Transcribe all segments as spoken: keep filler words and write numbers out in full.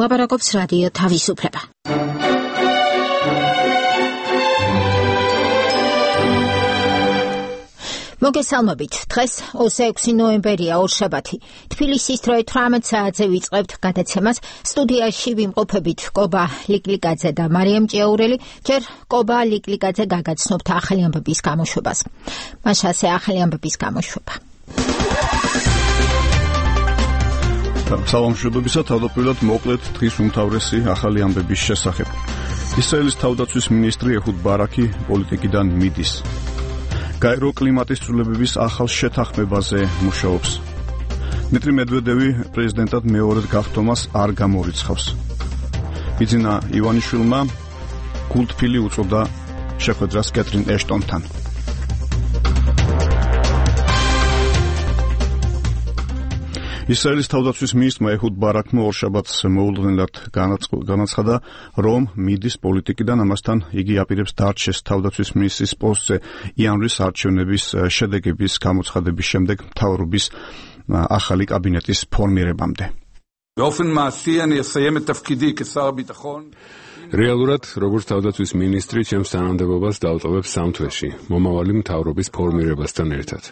ლაპარაკობს რადიო თავისუფლება. მოგესალმებით. დღეს ოცდაექვსი ნოემბერია, ორშაბათი. თბილისის დროით თვრამეტ საათზე ვიწყებთ გადაცემას. სტუდიაში ვიმყოფებით კობა ლიკლიკაძე და მარიამ ჭიაურელი. ჯერ კობა ლიკლიკაძე გაგაცნობთ ახალი ამბების გამოშვებას. მაშასე ახალი ამბების გამოშვება. სალამშვიდობისა, თავდაპირველად მოკლედ დღის უმთავრესი ახალი ამბების შესახებ. ისრაელის თავდაცვის მინისტრი ეჰუდ ბარაკი პოლიტიკიდან მიდის. გაირო კლიმატის ცვლილებების ახალ შეთანხმებაზე მუშაობს. დიმიტრი მედვედევი პრეზიდენტად მეორედ გახდომას არ გამორიცხავს. ბიძინა ივანიშვილმა კულტფილი უწოდა შეხვედრას კეთრინ ეშტონთან. ისრაელის თავდაცვის მინისტრმა ეჰუდ ბარაკმა ორშაბათს მოულოდნელად განაცხადა, რომ მიდის პოლიტიკიდან, ამასთან იგი აპირებს დარჩეს თავდაცვის მინისტრის პოსტზე იანვრის არჩევნების შედეგების გამოცხადების შემდეგ მთავრობის ახალი კაბინეტის ფორმირებამდე. რეალურად, როგორც თავდაცვის მინისტრი, ჩემს თანამდებობას დავტოვებ სამ თვეში, მომავალი მთავრობის ფორმირებასთან ერთად.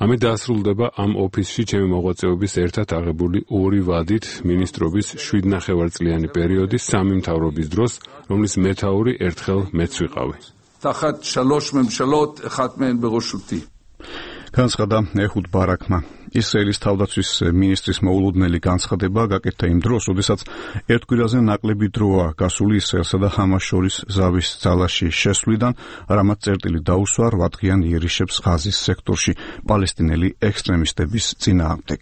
ამით დაასრულდება ამ ოფისში ჩემი მოღვაწეობის ერთად აღებული ორი ვადით მინისტრობის შვიდნახევარწლიანი პერიოდის სამი მთავრობის დროს, რომლის მეთაური ერთხელ მეც ვიყავი. განცხადა ეჰუდ ბარაკმა. ისრაელის თავდაცვის მინისტრის მოულოდნელი განცხადება გაკეთდა იმ დროს, როდესაც ერთ კვირაზე ნაკლები დროა გასული ისრაელსა და ჰამას შორის ზავის ძალაში შესვლიდან, რამაც წერტილი დაუსვა რვადღიან იერიშებს ღაზის სექტორში პალესტინელი ექსტრემისტების წინააღმდეგ.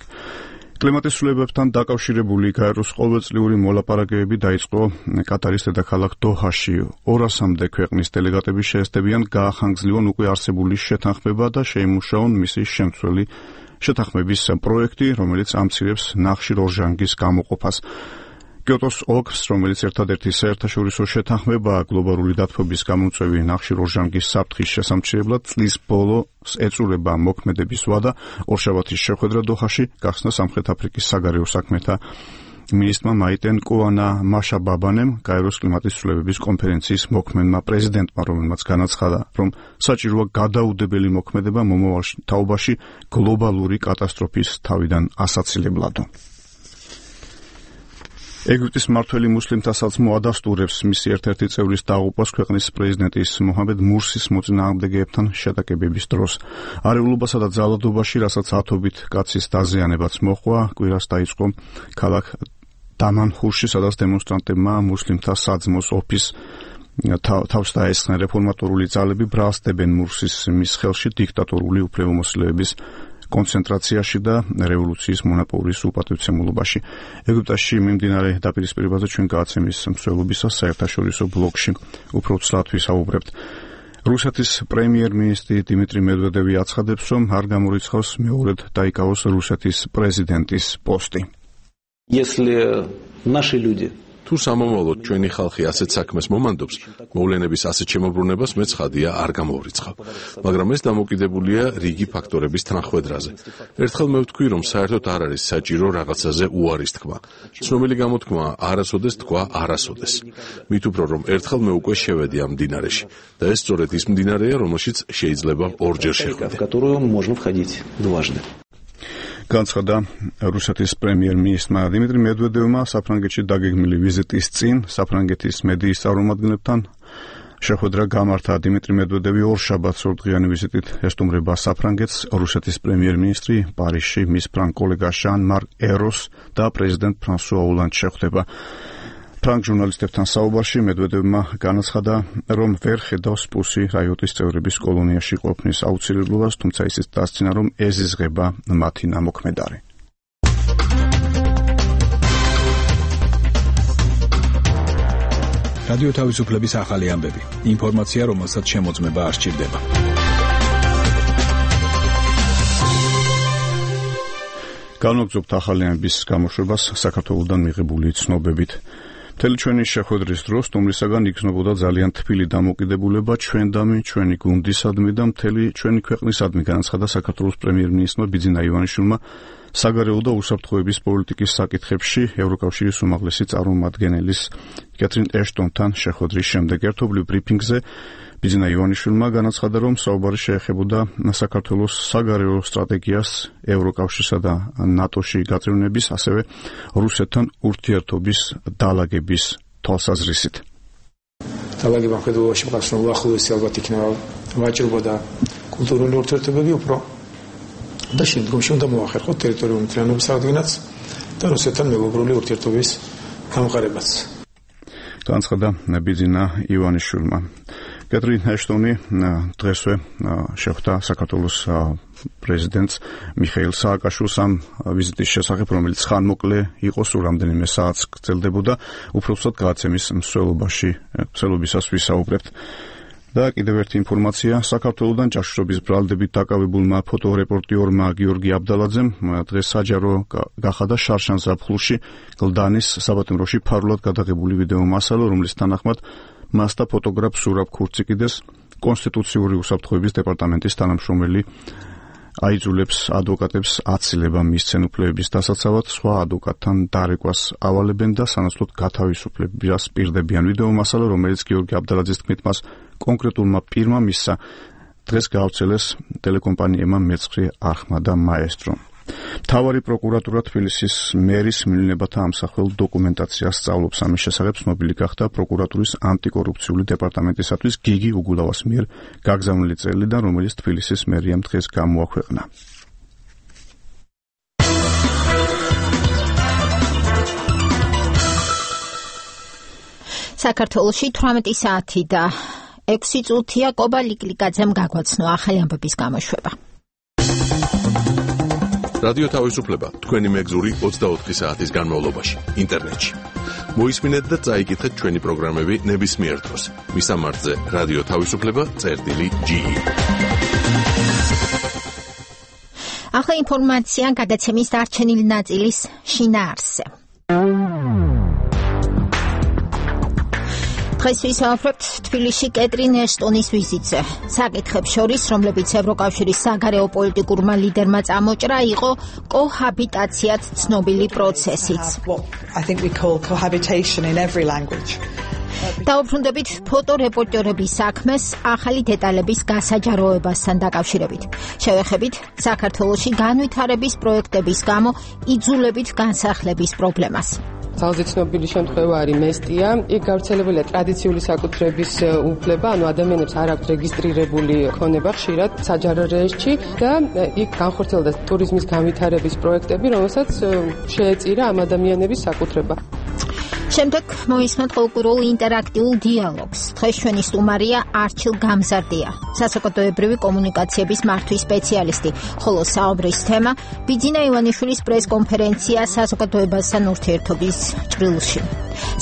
კლიმატის ცვლილებებთან დაკავშირებული გაეროს ყოველწლიური მოლაპარაკებები დაიწყო კატარის დედაქალაქ დოჰაში. ორასამდე ქვეყნის დელეგატები შეესწებიან გაახანგრძლიონ უკვე არსებული შეთანხმება და შეიმუშაონ მისი შემცვლელი შეთანხმების პროექტი, რომელიც ამცირებს ნახშირორჟანგის გამოყოფას. კიოტოს ოლქს, რომელიც ერთადერთი საერთაშორისო შეთანხმებაა გლობალური დათბობის გამომწვევი ნახშირორჟანგის საფრთხის შესამჩნევებლად, წლის ბოლოს ეწურება მოქმედების ვადა. ორშაბათის შეხვედრა დოჰაში გახსნა სამხრეთ აფრიკის საგარეო საქმეთა მინისტრმა მაიტენ კოანა მაშაბაბანემ, გაეროს კლიმატის ცვლილებების კონფერენციის მოქმედმა პრეზიდენტმა, რომელმაც განაცხადა, რომ საჭიროა გადაუდებელი მოქმედება მომავალ თაობაში გლობალური კატასტროფის თავიდან ასაცილებლადო. ეგვიპტის მმართველი მუსლიმთა საძმო ადასტურებს მისი ერთ-ერთი წევრის დაღუპვას ქვეყნის პრეზიდენტის მოჰამედ მურსის მოწინააღმდეგეებთან შეტაკებების დროს. არეულობასა და ძალადობაში, რასაც ათობით კაცის დაზიანებაც მოჰყვა, კვირას დაიწყო ქალაქ დამანჰურში, სადაც დემონსტრანტებმა მუსლიმთა საძმოს ოფისს თავს დაესხნენ. რეფორმატორული ძალები ბრალსდებენ მურსის მის ხელში დიქტატორული უფლებამოსილების კონცენტრაციაში და რევოლუციის მონოპოლის უპატივცემულობაში. ეგვიპტეში მიმდინარე დაპირისპირებაზე ჩვენ გააცემის მსვლელობისას საერთაშორისო ბლოგში უფრო ცლად ვისაუბრებთ. რუსეთის პრემიერ-მინისტრი დიმიტრი მედვედევი აცხადებს, რომ არ გამორიცხავს მეორედ დაიკავოს რუსეთის პრეზიდენტის პოსტი. თუ სამომავლოდ ჩვენი ხალხი ასეთ საქმეს მომანდობს, მოვლენების ასეთ შემოbrunებას მე ცხადია არ გამოვრიცხავ. მაგრამ ეს დამოკიდებულია რიგი ფაქტორების თანახვედრაზე. ერთხელ მე ვთქვი, რომ საერთოდ არ არის საჭირო რაღაცაზე უარის თქმა. ცნობილი გამოთქმა არასოდეს თქვა არასოდეს. მით უფრო რომ ერთხელ მე უკვე შევედი ამ მდინარეში და ეს სწორედ ის მდინარეა, რომელშიც შეიძლება ორჯერ შეხვიდე. განცხადა რუსეთის პრემიერ-მინისტრმა დიმიტრი მედვედევმა საფრანგეთში დაგეგმილი ვიზიტის წინ საფრანგეთის მედიის წარმომადგენლებთან შეხვედრა გამართა. დიმიტრი მედვედევი ორშაბათს ორდღიანი ვიზიტით ესტუმრება საფრანგეთს. რუსეთის პრემიერ-მინისტრი პარიზში მის ფრანგ კოლეგა ჟან-მარკ ეროს და პრეზიდენტ ფრანსუა ოლანდს შეხვდება. ფრანგ ჟურნალისტებთან საუბარში მედვედევმა განაცხადა, რომ ვერ ხედავს პუსი რაიოტის წევრების კოლონიაში ყოფნის აუცილებლობას, თუმცა ისიც დასცინა, რომ ეზიზღება მათი ნამოქმედარი. რადიო თავისუფლების ახალი ამბები. ინფორმაცია, რომელსაც შემოწმება არ სჭირდება. განვაგრძობთ ახალი ამბების გამოშვებას საქართველოსდან მიღებული ცნობებით. მთელი ჩვენი შეხვედრის დროს სტუმრისაგან იგრძნობოდა ძალიან თბილი დამოკიდებულება ჩვენდამი, ჩვენი გუნდისადმი და მთელი ჩვენი ქვეყნისადმი, განაცხადა საქართველოს პრემიერ-მინისტრმა ბიძინა ივანიშვილმა საგარეო და უსაფრთხოების პოლიტიკის საკითხებში ევროკავშირის უმაღლესი წარმომადგენლის კეთრინ ეშტონთან შეხვედრის შემდეგ. ერთობლივ ბრიფინგზე ბიძინა ივანიშვილმა განაცხადა, რომ საუბარი შეეხებოდა საქართველოს საგარეო სტრატეგიას ევროკავშირსა და ნატოში გაწევნების, ასევე რუსეთთან ურთიერთობის დალაგების თვალსაზრისით. დალაგებამ ხედავაში მყავს, რომ უახლოესი ალბათ იქნება ვაჭრობა და კულტურული ურთიერთობები უფრო და შემდგომში უნდა მოახერხოთ ტერიტორიული მთლიანობის აღდგენაც და რუსეთთან მეგობრული ურთიერთობის გამყარებაც. განაცხადა ბიძინა ივანიშვილმა. კეთრინ ეშტონი დღესვე შეხვდა საქართველოს პრეზიდენტს მიხეილ სააკაშვილს ამ ვიზიტის შესახებ, რომელიც ხანმოკლე იყო, სულ რამდენიმე საათს გრძელდებოდა. უпроსტად გადაცემის მსვლელობაში მსვლელობისას ვისაუბრებთ. და კიდევ ერთი ინფორმაცია, საქართველოდან ჭაშრობის ბრალდებით დაკავებულმა ფოტორეპორტიორმა გიორგი აბდალაძემ დღეს საჯარო გახადა შარშან ზაფხულში გლდანის საბატონროში ფარულად გადაღებული ვიდეო მასალა, რომლის თანახმად მას და ფოტოგრაფ სურაბ ქურციკიდეს კონსტიტუციური უსაფრთხოების დეპარტამენტის თანამშრომელი აიძულებს ადვოკატებს აცილება მისცენ უფლებების დასაცავად, სხვა ადვოკატთან დარეკვას ავალებენ და სანაცვლოდ გათავისუფლებას პირდებიან. ვიდეო მასალა, რომელიც გიორგი აბდალაძის თქმით მას კონკრეტულმა პირმა მისცა, დღეს გაავრცელეს ტელეკომპანიებმა მეცხრე არხმა და მაესტრო. მთავარი პროკურატურა თბილისის მერის მივლინებათა ამსახველ დოკუმენტაციას სწავლობს. ამის შესახებ ცნობილი გახდა პროკურატურის ანტიკორუფციული დეპარტამენტისათვის გიგი უგულავას მიერ გაგზავნილი წერილიდან, რომელიც თბილისის მერიამ დღეს გამოაქვეყნა. საქართველოში თვრამეტი საათი და ექვსი წუთია. კობა ლიკლიკაძემ გაგვაცნო ახალი ამბების გამოშვება. რადიო თავისუფლება თქვენი მეგზური ოცდაოთხი საათის განმავლობაში ინტერნეტში. მოისმინეთ და წაიკითხეთ ჩვენი პროგრამები ნებისმიერ დროს. მისამართზე რადიო თავისუფლება წერტილი ჯი. ახლა ინფორმაცია გადაცემის დარჩენილი ნაწილის შინაარსზე. დღეს ვისაუბრებთ თბილისში კეთრინ ეშტონის ვიზიტზე. საკითხებს შორის, რომლებიც ევროკავშირის საგარეო პოლიტიკურმა ლიდერმა წამოჭრა, იყო კოჰაბიტაციად ცნობილი პროცესიც. დაუბრუნდებით ფოტორეპორტიორების საქმეს ახალი დეტალების გასაჯაროებასთან დაკავშირებით. შევეხებით საქართველოში განვითარების პროექტების გამო იძულებით განსახლების პრობლემას. ძალზე ცნობილი შემთხვევა არის მესტია. იქ გავრცელებულია ტრადიციული საკუთრების უფლება, ანუ ადამიანებს არ აქვთ რეგისტრირებული ქონება ხშირად საჯარო რეესტრში და იქ განხორციელდა ტურიზმის განვითარების პროექტები, რომელსაც შეეწირა ამ ადამიანების საკუთრება. შემდეგ მოისმენთ ყოველკვირეულ ინტერაქტიულ დიალოგს. დღეს ჩვენი სტუმარია არჩილ გამზარდია, საზოგადოებრივი კომუნიკაციების მართვის სპეციალისტი, ხოლო საუბრის თემა ბიძინა ივანიშვილის პრესკონფერენცია საზოგადოებასთან ურთიერთობის ჭრილში.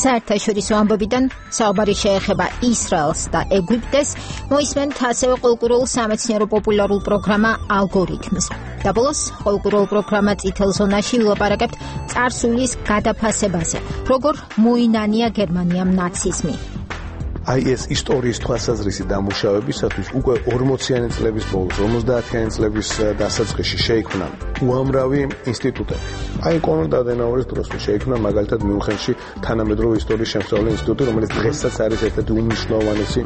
საერთაშორისო ამბებიდან საუბარი შეეხება ისრაელს და ეგვიპტეს, მოისმენთ ასევე ყოველკვირეულ სამეცნიერო პოპულარულ პროგრამა ალგორითმს. და ბოლოს ყოველკვირეულ პროგრამა წითელ ზონაში ვილაპარაკებთ წარსულის გადაფასებაზე, როგორ მოინანია გერმანიამ ნაციზმი. აი ეს ისტორიის თვალსაზრისით დამუშავებისათვის უკვე ორმოციანი წლების ბოლოს, ორმოცდაათიანი წლების დასაწყისში შეიქმნა უამრავი ინსტიტუტები. აი კონრად ადენაურის დროს შეიქმნა მაგალითად მიუნხენში თანამედროვე ისტორიის შემსწავლელი ინსტიტუტი, რომელიც დღესაც არის ერთ-ერთი უმნიშვნელოვანესი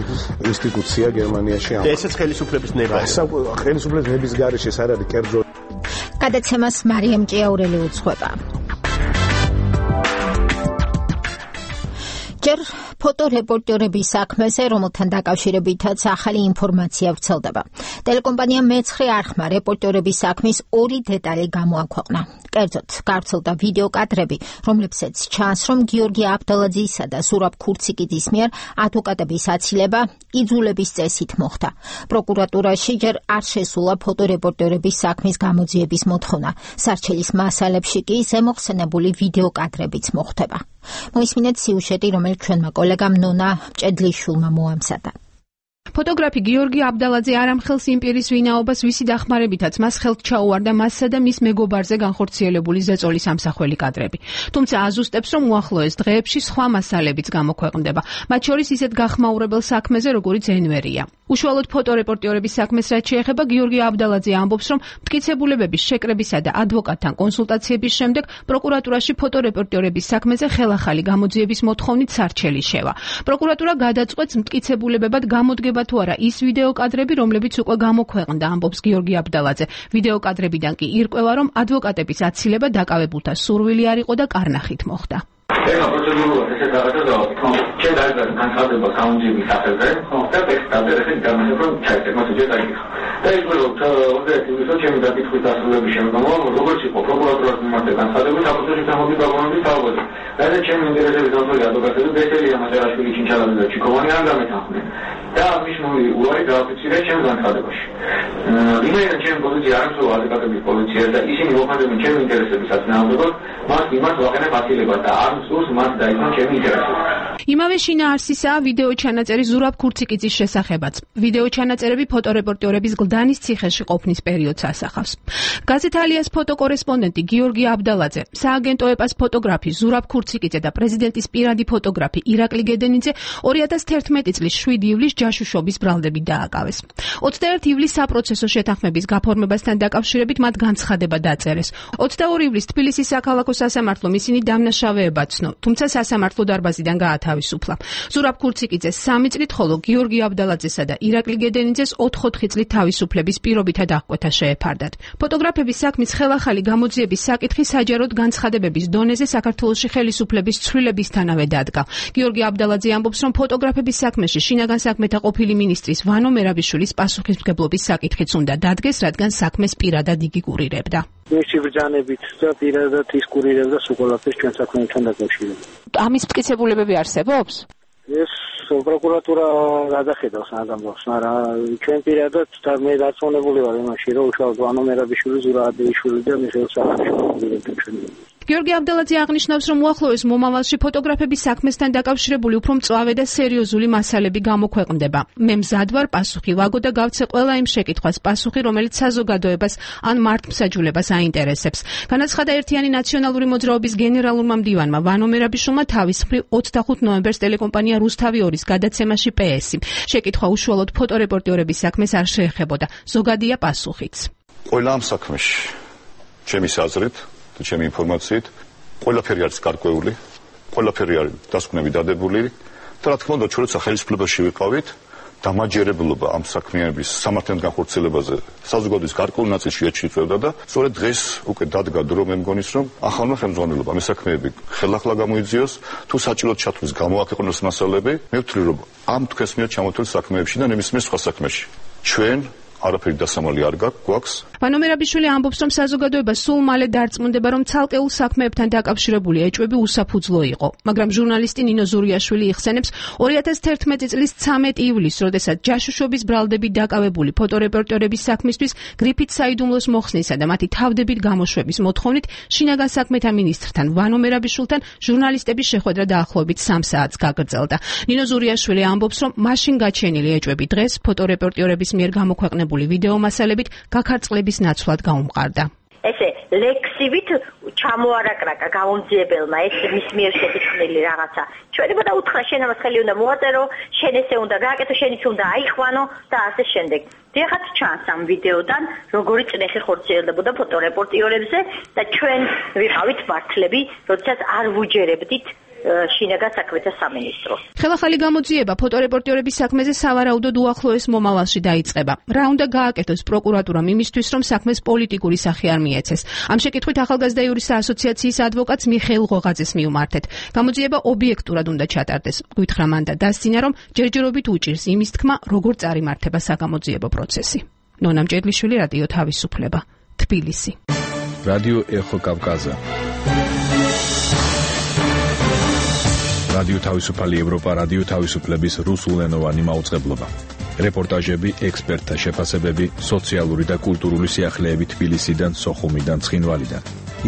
ინსტიტუცია გერმანიაში. ესეც ხელისუფლების ნება. ხელისუფლების ნების გარეშე ეს არ არის კერძო. გადაცემას მარიამ ჭიაურელი უძღვება. ჯერ ფოტორეპორტიორების საქმეზე, რომელთან დაკავშირებითაც ახალი ინფორმაცია ვრცელდება. ტელეკომპანია მეცხრე არხმა რეპორტიორების საქმის ორი დეტალი გამოაქვეყნა. კერძოდ, გავრცელდა ვიდეო კადრები, რომლებსაც ჩანს, რომ გიორგი აბდალაძისა და სურაბ ქურციკიძის მიერ ადვოკატების აცილება იძულების წესით მოხდა. პროკურატურაში ჯერ არ შესულა ფოტორეპორტიორების საქმის გამოძიების მოთხოვნა. სარჩელის მასალებში კი ზემოხსენებული ვიდეო კადრებიც მოხვდება. მოისმინეთ სიუჟეტი, რომელიც ჩვენმა კოლეგამ ნონა მჭედლიშვილმა მოამზადა. ფოტოგრაფი გიორგი აბდალაძე არამხელს იმპერიის ვინაობას ვისი დახმარებითაც მას ხელთ ჩაუვარდა მასსა და მის მეგობარზე განხორციელებული ზეწოლის ამსახველი კადრები. თუმცა აზუსტებს, რომ უახლოეს დღეებში სხვა მასალებიც გამოქვეყნდება, მათ შორის ისეთ გახმაურებელ საქმეზე, როგორიც ენვერია. უშუალოდ ფოტორეპორტიორების საქმეს რაც შეეხება, გიორგი აბდალაძე ამბობს, რომ მტკიცებულებების შეკრებისა და ადვოკატთან კონსულტაციების შემდეგ პროკურატურაში ფოტორეპორტიორების საქმეზე ხელახალი გამოძიების მოთხოვნით სარჩელი შევა. პროკურატურა გადაწყვეტს მტკიცებულებებად გამოდგება თუ არა ის ვიდეო კადრები, რომლებიც უკვე გამოქვეყნდა, ამბობს გიორგი აბდალაძე. ვიდეო კადრებიდან კი ირკვევა, რომ ადვოკატების აცილება დაკავებულთა სურვილი არ იყო და კარნახით მოხდა. ეხლა პროცედურულად ესე გადაგადა, რომ ჩვენ დაიწყეთ განცხადება გამოძიების სახელზე, ხო, და ტექსტად ესე გამოსა, რომ ჩაიწერა მას უჯერ დაიგიხო. და ის რომ ოცდაერთი ივლისს ჩემი დაკითხვის დასრულების შემდგომ, როგორც იყო პროკურატურას მიმართ განცხადებული, საფუძველი გამოდი დაგონების თავზე. და ჩემი ინტერესების დავწერი ადვოკატები ბესელია მატერაშვილი ჩინჩალაძე და ჩიკოვანი არ გამეთანხმდნენ. და მნიშვნელოვანი უარი დააფიქსირეს ჩემს განცხადებაში. იმენა ჩემი პოზიცია არ მსო ადვოკატების პოზიცია და ისინი მოხდებიან ჩემი ინტერესებისაც ნამდვილად, მას მიმართ ვაყენებ აცილებას და არ მსურს მას დაიწყოს ჩემი ინტერესები. იმავე შინაარსისაა ვიდეო ჩანაწერი ზურაბ ქურციკიძის შესახებაც. ვიდეო ჩანაწერები ფოტორეპორტიორების გლდანის ციხეში ყოფნის პერიოდს ასახავს. გაზეთ ალიას ფოტოკორესპონდენტი გიორგი აბდალაძე, სააგენტო ეპას ფოტოგრაფი ზურაბ ქურციკიძე და პრეზიდენტის პირადი ფოტოგრაფი ირაკლი გედენიძე ორი ათას თერთმეტი წლის შვიდი ივლისს ჯაშუშობის ბრალდებით დააკავეს. ოცდაერთი ივლისს საპროცესო შეთანხმების გაფორმებასთან დაკავშირებით მათ განცხადება დაწერეს. ოცდაორი ივლისს თბილისის საქალაქო სასამართლომ ისინი დამნაშავეებად ცნო, თუმცა სასამართლო დარბაზიდან გაათავისუფლა. ზურაბ ქურციკიძეს სამი წლით, ხოლო გიორგი აბდალაძესა და ირაკლი გედენიძეს ოთხ-ოთხი წლით თავისუფლების პირობითად აღკვეთა შეეფარდათ. ფოტოგრაფების საქმის ხელახალი გამოძიების საკითხი საჯაროდ განცხადებების დონეზე საქართველოში ხელისუფლების ცვლილებისთანავე დადგა. გიორგი აბდალაძე ამბობს, რომ ფოტოგრაფების საქმეში შინაგან საქმეთა ყოფილი მინისტრის ვანო მერაბიშვილის პასუხისმგებლობის საკითხიც უნდა დადგეს, რადგან საქმეს პირადად იგი კურირებდა. მისი ბრძანებით და პირადად ის კურირებდა სულ ჩვენ საქმეებთან დაკავშირებით. ამის მტკიცებულებები არსებობს? ეს პროკურატურა გადახედავს ადამიანს, მაგრამ ჩვენ პირადად და მე დარწმუნებული ვარ იმაში, რომ უშუალოდ ვანო მერაბიშვილი, ზურაბ აბდეიშვილი და მიხეილ სააკაშვილი ჩვენ. გიორგი აბდალაძე აღნიშნავს, რომ უახლოეს მომავალში ფოტოგრაფების საქმესთან დაკავშირებული უფრო მწვავე და სერიოზული მასალები გამოქვეყნდება. მე მზად ვარ პასუხი ვაგო და გავცე ყველა იმ შეკითხვას პასუხი, რომელიც საზოგადოებას ან მართლმსაჯულებას აინტერესებს. განაცხადა ერთიანი ნაციონალური მოძრაობის გენერალურმა მდივანმა ვანო მერაბიშვილმა თავის მხრივ ოცდახუთ ნოემბერს ტელეკომპანია რუსთავი ორის გადაცემაში პე-ესი. შეკითხვა უშუალოდ ფოტორეპორტიორების საქმეს არ შეეხებოდა. ზოგადია პასუხიც. ყველა ამ საქმეში ჩემი აზრით და ჩემი ინფორმაციით ყველაფერი არის გარკვეული, ყველაფერი არის დასკვნები დადებული და რა თქმა უნდა ჩვენც ხელისუფლებაში ვიყავით დამაჯერებლობა ამ საქმიანობის სამართლიან განხორციელებაზე საზოგადოების გარკვეულ ნაწილში ეჩვევა და სწორედ დღეს უკვე დადგა დრო მე მგონის რომ ახალმა ხელმძღვანელობამ ამ საქმეები ხელახლა გამოიძიოს თუ საჭიროდ ჩათვლის გამოაქვეყნოს მასალები მე ვთვლი რომ ამ თქვენს მიერ ჩამოთვლილ საქმეებში და ნებისმიერ სხვა საქმეში ჩვენ არაფერი დასამალი არ გვაქვს. ვანო მერაბიშვილი ამბობს, რომ საზოგადოება სულ მალე დარწმუნდება, რომ ცალკეულ საქმეებთან დაკავშირებული ეჭვები უსაფუძვლო იყო, მაგრამ ჟურნალისტი ნინო ზურიაშვილი იხსენებს ორი ათას თერთმეტი წლის ცამეტი ივლისს, როდესაც ჯაშუშობის ბრალდებით დაკავებული ფოტორეპორტიორების საქმისთვის გრიფით საიდუმლოს მოხსნისა და მათი თავდებით გამოშვების მოთხოვნით შინაგან საქმეთა მინისტრთან ვანო მერაბიშვილთან ჟურნალისტების შეხვედრა დაახლოებით სამ საათს გაგრძელდა. ნინო ზურიაშვილი ამბობს, რომ მაშინ გაჩენილი ეჭვები დღეს ფოტორეპორტიორების მიერ გამოქვეყნებული ვიდეო მასალებით გაქარწყლების ნაცვლად გაუმყარდა. ესე ლექსივით ჩამოარაკრაკა გამომძიებელმა ეს მის მიერ შეკითხული რაღაცა. ჩვენება და უთხრა შენ ამას ხელი უნდა მოაწერო, შენ ესე უნდა გააკეთო, შენ ის უნდა აიხვანო და ასე შემდეგ. დიახაც ჩანს ამ ვიდეოდან როგორი წნეხი ხორციელდებოდა ფოტორეპორტიორებზე და ჩვენ ვიყავით მართლები, როდესაც არ ვუჯერებდით შინაგან საქმეთა სამინისტრო. ხელახალი გამოძიება ფოტორეპორტიორების საქმეზე სავარაუდოდ უახლოეს მომავალში დაიწყება. რა უნდა გააკეთოს პროკურატურამ იმისთვის, რომ საქმეს პოლიტიკური სახე არ მიეცეს? ამ შეკითხვით ახალგაზრდა იურისტთა ასოციაციის ადვოკატს მიხეილ ღოღაძეს მიუმართეთ. გამოძიება ობიექტურად უნდა ჩატარდეს. გვითხრა მან და დასცინა, რომ ჯერჯერობით უჭირს იმის თქმა, როგორ წარიმართება საგამოძიებო პროცესი. ნონა მჭედლიშვილი, რადიო თავისუფლება, თბილისი. რადიო ეხო კავკაზა. რადიო თავისუფალი ევროპა, რადიო თავისუფლების რუსულენოვანი მაუწყებლობა. რეპორტაჟები, ექსპერტთა შეფასებები, სოციალური და კულტურული სიახლეები თბილისიდან, სოხუმიდან, ცხინვალიდან.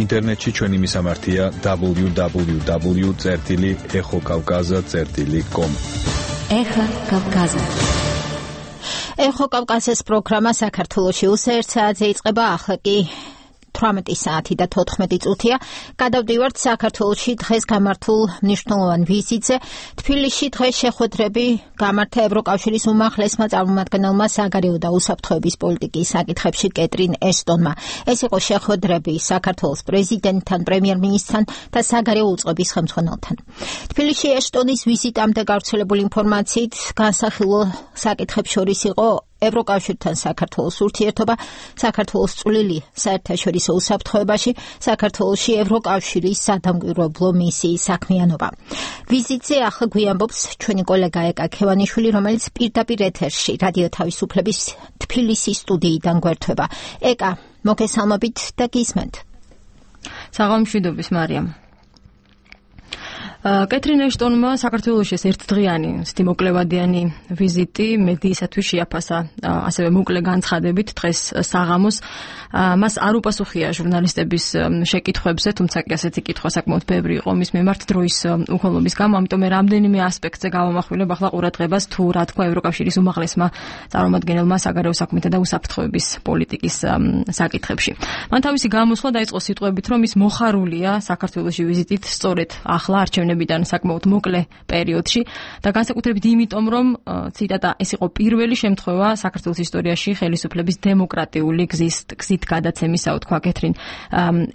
ინტერნეტში ჩვენი მისამართია დაბლიუ დაბლიუ დაბლიუ წერტილი ეხო კავკაზა წერტილი კომ. ეხა კავკაზა. ეხო კავკასიის პროგრამა საქართველოში უსეერთ საათზე იწყება, ახლა კი თვრამეტი საათი და თოთხმეტი წუთია. გადავდივართ საქართველოში დღეს გამართულ მნიშვნელოვან ვიზიტზე. თბილისში დღეს შეხვედრები გამართა ევროკავშირის უმაღლესმა წარმომადგენელმა საგარეო და უსაფრთხოების პოლიტიკის საკითხებში კეტრინ ეშტონმა. ეს იყო შეხვედრები საქართველოს პრეზიდენტთან, პრემიერ-მინისტრთან და საგარეო უწყების ხელმძღვანელთან. თბილისში ეშტონის ვიზიტამდე გავრცელებული ინფორმაციით განსახილო საკითხებს შორის იყო ევროკავშირთან საქართველოს ურთიერთობა, საქართველოს წვლილი საერთაშორისო უსაფრთხოებაში, საქართველოში ევროკავშირის სადამკვირვებლო მისიის საქმიანობა. ვიზიტზე ახლა გვიამბობს ჩვენი კოლეგა ეკა ქევანიშვილი, რომელიც პირდაპირ ეთერში რადიო თავისუფლების თბილისის სტუდიიდან გვერდება. ეკა, მოგესალმებით და გისმენთ. საღამოშვიდობის მარიამ. კეტრინ ეშტონმა საქართველოში ერთდღიანი სტიმოკლევადიანი ვიზიტი მედიისათვის შეაფასა, ასევე მოკლე განცხადებით დღეს საღამოს. მას არ უპასუხია ჟურნალისტების შეკითხვებზე, თუმცა კი ასეთი კითხვა საკმაოდ ბევრი იყო მის მიმართ დროის უხელობის გამო, ამიტომ მე რამდენიმე ასპექტზე გავამახვილებ ახლა ყურადღებას თუ რა თქვა ევროკავშირის უმაღლესმა წარმომადგენელმა საგარეო საქმეთა და უსაფრთხოების პოლიტიკის საკითხებში. მან თავისი გამოსვლა დაიწყო სიტყვებით, რომ ის მოხარულია საქართველოში ვიზიტით სწორედ ახლა არჩევნებიდან საკმაოდ მოკლე პერიოდში და განსაკუთრებით იმიტომ, რომ ციტატა ეს იყო პირველი შემთხვევა საქართველოს ისტორიაში ხელისუფლების დემოკრატიული გზის გზით გადაცემისა, თქვა კეტრინ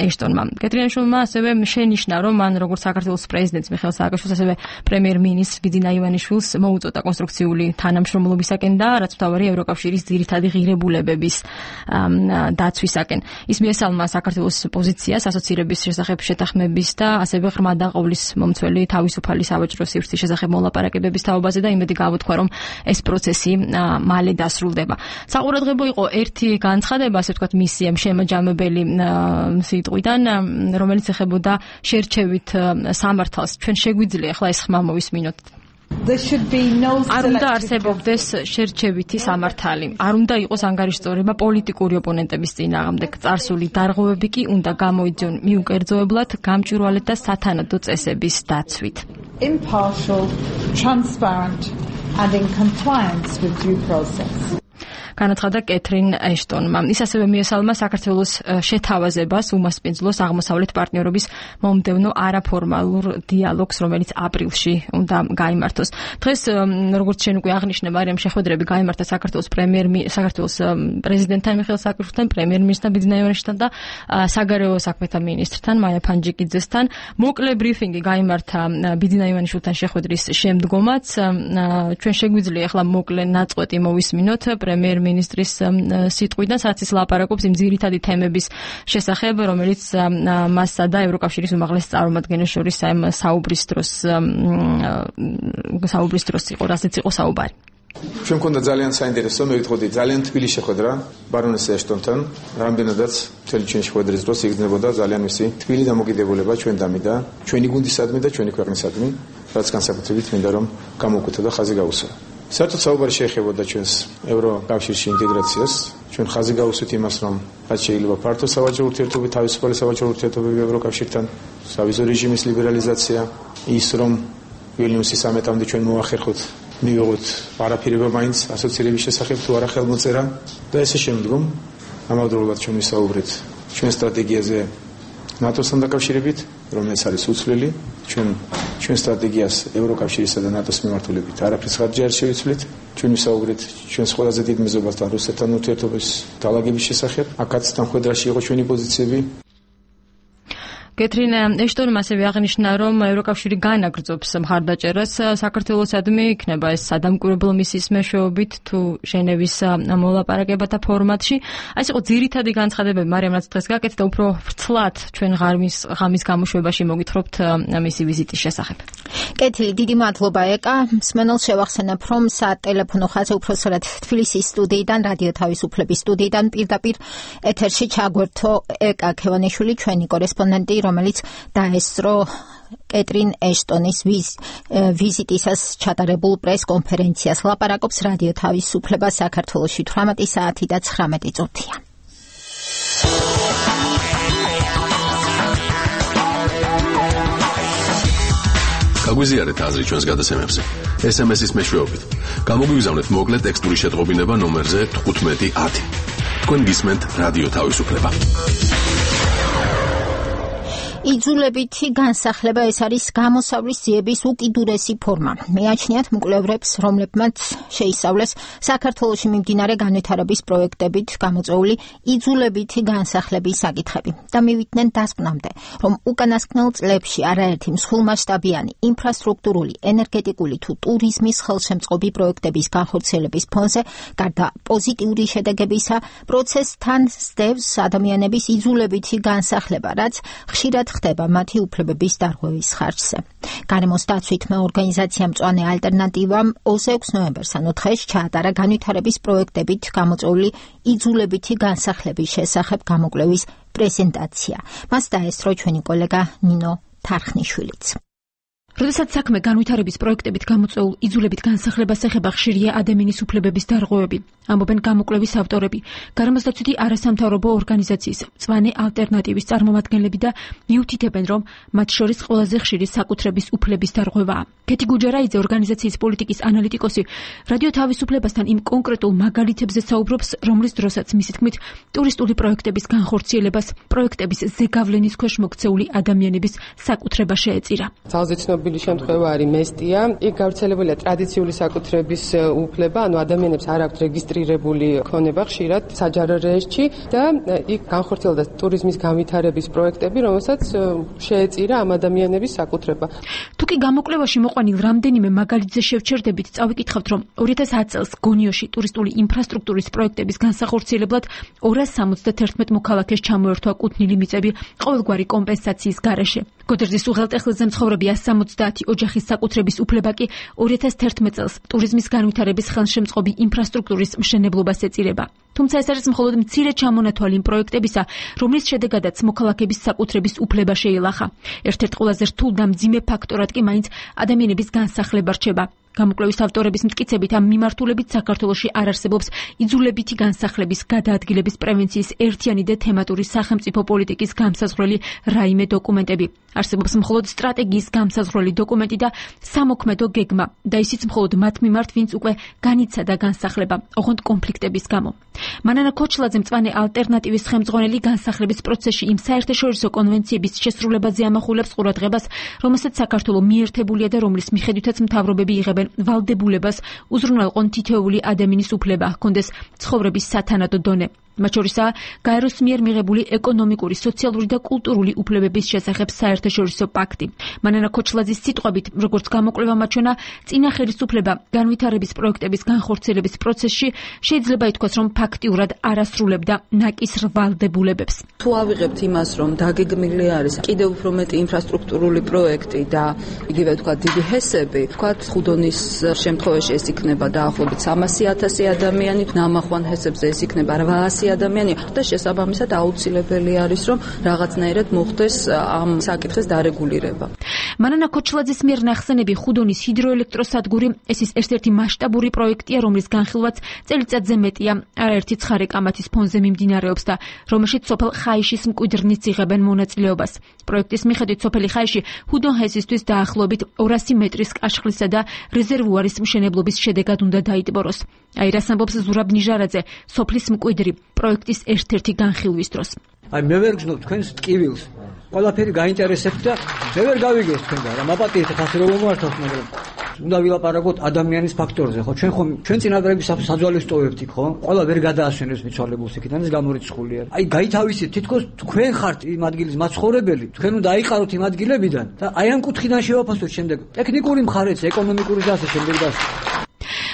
ეშტონმა. კეტრინ ეშტონმა ასევე შენიშნა, რომ მან როგორც საქართველოს პრეზიდენტს მიხეილ სააკაშვილს, ასევე პრემიერ-მინისტრს ბიძინა ივანიშვილს მოუწოდა კონსტრუქციული თანამშრომლობისაკენ და რაც მთავარი ევროკავშირის ძირითადი ღირებულებების დაცვისაკენ. ის მიესალმა საქართველოს პოზიციას ასოცირების შესახებ შეთანხმების და ასევე ღრმა დაყოლის მომცველი თავისუფალი სავაჭრო სივრცის შესახებ მოლაპარაკებების თაობაზე და იმედი გავუთქვა, რომ ეს პროცესი მალე დასრულდება. საყურადღებო იყო ერთი განცხადება, ასე ვთქვათ, მისი შემაჯამებელი სიტყვიდან, რომელიც ეხებოდა შერჩევით სამართალს. ჩვენ შეგვიძლია ახლა ეს ხმა მოვისმინოთ. არ უნდა არსებობდეს შერჩევითი სამართალი. არ უნდა იყოს ანგარიშწორება პოლიტიკური ოპონენტების წინააღმდეგ. წარსული დარღვევები კი უნდა გამოიძიონ მიუკერძოებლად, გამჭვირვალედ და სათანადო წესების დაცვით. Impartial, transparent and in compliance with due process. განაცხადა კეტრინ ეშტონმა. ის ასევე მიესალმა საქართველოს შეთავაზებას უმასპინძლოს აღმოსავლეთ პარტნიორობის მომდევნო არაფორმალურ დიალოგს, რომელიც აპრილში უნდა გაიმართოს. დღეს, როგორც შენ უკვე აღნიშნე, მარიამ, შეხვედრები გაიმართა საქართველოს პრემიერ საქართველოს პრეზიდენტთან მიხეილ სააკაშვილთან, პრემიერ-მინისტრთან ბიძინა ივანიშვილთან და საგარეო საქმეთა მინისტრთან მაია ფანჯიკიძესთან. მოკლე ბრიფინგი გაიმართა ბიძინა ივანიშვილთან შეხვედრის შემდგომაც. ჩვენ შეგვიძლია ახლა მოკლე ნაწყვეტი მოვისმინოთ პრემიერ მინისტრის სიტყვიდან, სადაც ის ლაპარაკობს იმ ძირითადი თემების შესახებ, რომელიც მასსა და ევროკავშირის უმაღლეს წარმომადგენელს შორის საუბრის დროს საუბრის დროს იყო, რასაც იყო საუბარი. ჩვენ მქონდა ძალიან საინტერესო, მე ვიტყოდი, ძალიან თბილი შეხვედრა ბარონეს ეშტონთან, რამდენადაც მთელი ჩვენი შეხვედრის დროს იგრძნობოდა ძალიან მისი თბილი დამოკიდებულება ჩვენდამი და ჩვენი გუნდისადმი და ჩვენი ქვეყნისადმი, რაც განსაკუთრებით მინდა რომ გამოვკვეთა და ხაზი გაუსვა. საერთოდ საუბარი შეეხებოდა ჩვენს ევროკავშირში ინტეგრაციას. ჩვენ ხაზი გავუსვით იმას, რომ რაც შეიძლება ფართო სავაჭრო ურთიერთობები, თავისუფალი სავაჭრო ურთიერთობები ევროკავშირთან, სავიზო რეჟიმის ლიბერალიზაცია, ის რომ ვილნიუსის სამეტამდე ჩვენ მოახერხოთ, მივიღოთ პარაფირება მაინც ასოცირების შესახებ თუ არა ხელმოწერა და ესე შემდგომ ამავდროულად ჩვენ ვისაუბრეთ ჩვენ სტრატეგიაზე ნატოსთან დაკავშირებით, რომელიც არის უცვლელი. ჩვენ ჩვენ სტრატეგიას ევროკავშირისა და ნატოს მიმართულებით არაფერს ხარჯი არ შევიცვლით. ჩვენ ვისაუბრეთ ჩვენს ყველაზე დიდ მეზობასთან, რუსეთთან ურთიერთობის დაალაგების შესახებ. აქაც თანხვედრაში იყო ჩვენი პოზიციები. კეტრინ ეშტონმა ასევე აღნიშნა, რომ ევროკავშირი განაგრძობს მხარდაჭერას საქართველოსადმი, იქნება ეს სადამკვირვებლო მისიის მეშვეობით თუ ჟენევის მოლაპარაკებათა ფორმატში. ეს იყო ძირითადი განცხადებები, მარიამ, რაც დღეს გაკეთდა, უფრო ვრცლად ჩვენ ღამის ღამის გამოშვებაში მოგითხრობთ მისი ვიზიტის შესახებ. კეთილი, დიდი მადლობა ეკა. მსმენელს შევახსენებ, რომ სატელეფონო ხაზი უпроსრად თბილისის სტუდიიდან, რადიო თავისუფლების სტუდიიდან პირდაპირ ეთერში ჩაგვერთო ეკა ქევანიშვილი, ჩვენი კორესპონდენტი, რომელიც დაესწრო კეტრინ ეშტონის ვიზიტისას ჩატარებულ პრეს-კონფერენციას. ლაპარაკობს რადიო თავისუფლება საქართველოში თვრამეტი საათი და ცხრამეტი წუთია. გაგვიზიარეთ აზრი ჩვენს გადაცემებზე. ეს ემ ეს-ის მეშვეობით. გამოგვიგზავნეთ მოკლე ტექსტური შეტყობინება ნომერზე თხუთმეტი ათი. თქვენ გისმენთ რადიო თავისუფლება. იძულებითი განსახლება ეს არის გამოსავლის ძიების უკიდურესი ფორმა. მეაჩნიათ მკვლევრებს, რომლებმაც შეისწავლეს საქართველოში მიმდინარე განვითარების პროექტებით გამოწვეული იძულებითი განსახლების საკითხები და მივიდნენ დასკვნამდე, რომ უკანასკნელ წლებში არაერთი მსხვილმასშტაბიანი ინფრასტრუქტურული, ენერგეტიკული თუ ტურიზმის ხელშემწყობი პროექტების განხორციელების ფონზე, გარდა პოზიტიური შედეგებისა, პროცესთან სდევს ადამიანების იძულებითი განსახლება, რაც ხშირად ხდება მათი უფლებების დარღვევის ხარჯზე. გარემოს დაცვით ორგანიზაცია მწვანე ალტერნატივამ ოცდაექვსი ნოემბერს ანუ დღეს ჩაატარა განვითარების პროექტებით გამოწვეული იძულებითი განსახლების შესახებ გამოკვლევის პრეზენტაცია. მას დაესწრო ჩვენი კოლეგა ნინო თარხნიშვილიც. როდესაც საქმე განვითარების პროექტებით გამოწვეულ იძულებით განსახლებას ეხება, ხშირია ადამიანის უფლებების დარღვევები, ამბობენ გამოკვლევის ავტორები, გარემოს დაცვითი არასამთავრობო ორგანიზაციის მწვანე ალტერნატივის წარმომადგენლები და მიუთითებენ, რომ მათ შორის ყველაზე ხშირი საკუთრების უფლების დარღვევაა. კეთი გუჯარაიძე, ორგანიზაციის პოლიტიკის ანალიტიკოსი, რადიო თავისუფლებასთან იმ კონკრეტულ მაგალითებზე საუბრობს, რომლის დროსაც მისი თქმით, ტურისტული პროექტების განხორციელებას პროექტების ზეგავლენის ქვეშ მოქცეული ადამიანების საკუთრება შეეწირა. ცნობილი შემთხვევა არის მესტია. იქ გავრცელებულია ტრადიციული საკუთრების უფლება, ანუ ადამიანებს არ აქვთ რეგისტრირებული ქონება ხშირად საჯარო რეესტრში და იქ განხორციელდა ტურიზმის განვითარების პროექტები, რომელსაც შეეწირა ამ ადამიანების საკუთრება. თუკი გამოკვლევაში მოყვანილ რამდენიმე მაგალითზე შევჩერდებით, წავიკითხავთ, რომ ორი ათას ათი წელს გონიოში ტურისტული ინფრასტრუქტურის პროექტების განსახორციელებლად ორას სამოცდათერთმეტ მოქალაქეს ჩამოერთვა კუთვნილი მიწები ყოველგვარი კომპენსაციის გარეშე. გოდერძის უღელტეხილზე მცხოვრები ასი სამოცდაათი ოჯახის საკუთრების უფლება კი ორი ათას თერთმეტ წელს ტურიზმის განვითარების ხელშემწყობი ინფრასტრუქტურის მშენებლობას ეწირება. თუმცა ეს არის მხოლოდ მცირე ჩამონათვალი იმ პროექტებისა, რომლის შედეგადაც მოქალაქების საკუთრების უფლება შეილახა. ერთ-ერთ ყველაზე რთულ და მძიმე ფაქტორად კი მაინც ადამიანების განსახლება რჩება. გამოკვლევის ავტორების მტკიცებით ამ მიმართულებით საქართველოში არ არსებობს იძულებითი განსახლების გადაადგილების პრევენციის ერთიანი და თემატური სახელმწიფო პოლიტიკის გამსაზღვრელი რაიმე დოკუმენტები. არსებობს მხოლოდ სტრატეგიის გამსაზღვრელი დოკუმენტი და სამოქმედო გეგმა და ისიც მხოლოდ მათ მიმართ, ვინც უკვე განიცადა განსახლება, ოღონდ კონფლიქტების გამო. მანანა ქოჩლაძე, მწვანე ალტერნატივის ხელმძღვანელი, განსახლების პროცესში იმ საერთაშორისო კონვენციების შესრულებაზე ამახვილებს ყურადღებას, რომელსაც საქართველო მიერთებულია და რომლის მიხედვითაც მთავრობები იღებენ ვალდებულებას უზრუნველყონ თითოეული ადამიანის უფლება ჰქონდეს ცხოვრების სათანადო დონე. მათ შორისაა გაეროს მიერ მიღებული ეკონომიკური, სოციალური და კულტურული უფლებების შესახებ საერთაშორისო პაქტი. მანანა ქოჩლაძის სიტყვებით, როგორც გამოკვლევა მაჩვენა, წინა ხელისუფლება განვითარების პროექტების განხორციელების პროცესში შეიძლება ითქვას, რომ ფაქტიურად არ ასრულებდა ნაკისრ ვალდებულებებს. თუ ავიღებთ იმას, რომ დაგეგმილი არის კიდევ უფრო მეტი ინფრასტრუქტურული პროექტი და იგივე თქვა დიდი ჰესები, თქვა ხუდონის შემთხვევაში ეს იქნება დაახლოებით სამასი ათასი ადამიანი, ნამახვან ჰესებზე ეს იქნება რვაასი ადამიანი და შესაბამისად აუცილებელი არის, რომ რაღაცნაირად მოხდეს ამ საკითხის დარეგულირება. მანანა ქოჩლაძის მიერ ნახსენები ხუდონის ჰიდროელექტროსადგური ეს ის ერთ-ერთი მასშტაბური პროექტია, რომლის განხილვაც წელიწადზე მეტია, არაერთი ცხარე კამათის ფონზე მიმდინარეობს და რომელშიც სოფელ ხაიშის მკვიდრნიც იღებენ მონაწილეობას. პროექტის მიხედვით სოფელი ხაიში ჰუდონ-ჰესისთვის დაახლოებით ორასი მეტრის კაშხლისა და რეზერვუარის მშენებლობის შედეგად უნდა დაიტბოროს. აი რას ამბობს ზურაბ ნიჟარაძე, სოფლის მკვიდრი, პროექტის ერთ-ერთი განხილვის დროს. აი მე ვერ გძნობ თქვენს ტკივილს. ყველაფერი გაინტერესებთ და მე ვერ გავიგეს თქვენგან. რა მაპატიეთ ხასი რომ მომართოთ, მაგრამ უნდა ვილაპარაკოთ ადამიანის ფაქტორზე, ხო? ჩვენ ხომ ჩვენ წინადრების საძვალეს ტოვებთ იქ, ხო? ყველა ვერ გადაასვენებს მიცვალებულს იქიდან, ეს გამორიცხული არის. აი გაითავისეთ, თითქოს თქვენ ხართ იმ ადგილის მაცხოვრებელი, თქვენ უნდა აიყაროთ იმ ადგილებიდან და აი ამ კუთხიდან შევაფასოთ შემდეგ ტექნიკური მხარეც, ეკონომიკური და ასე შემდეგ და ასე.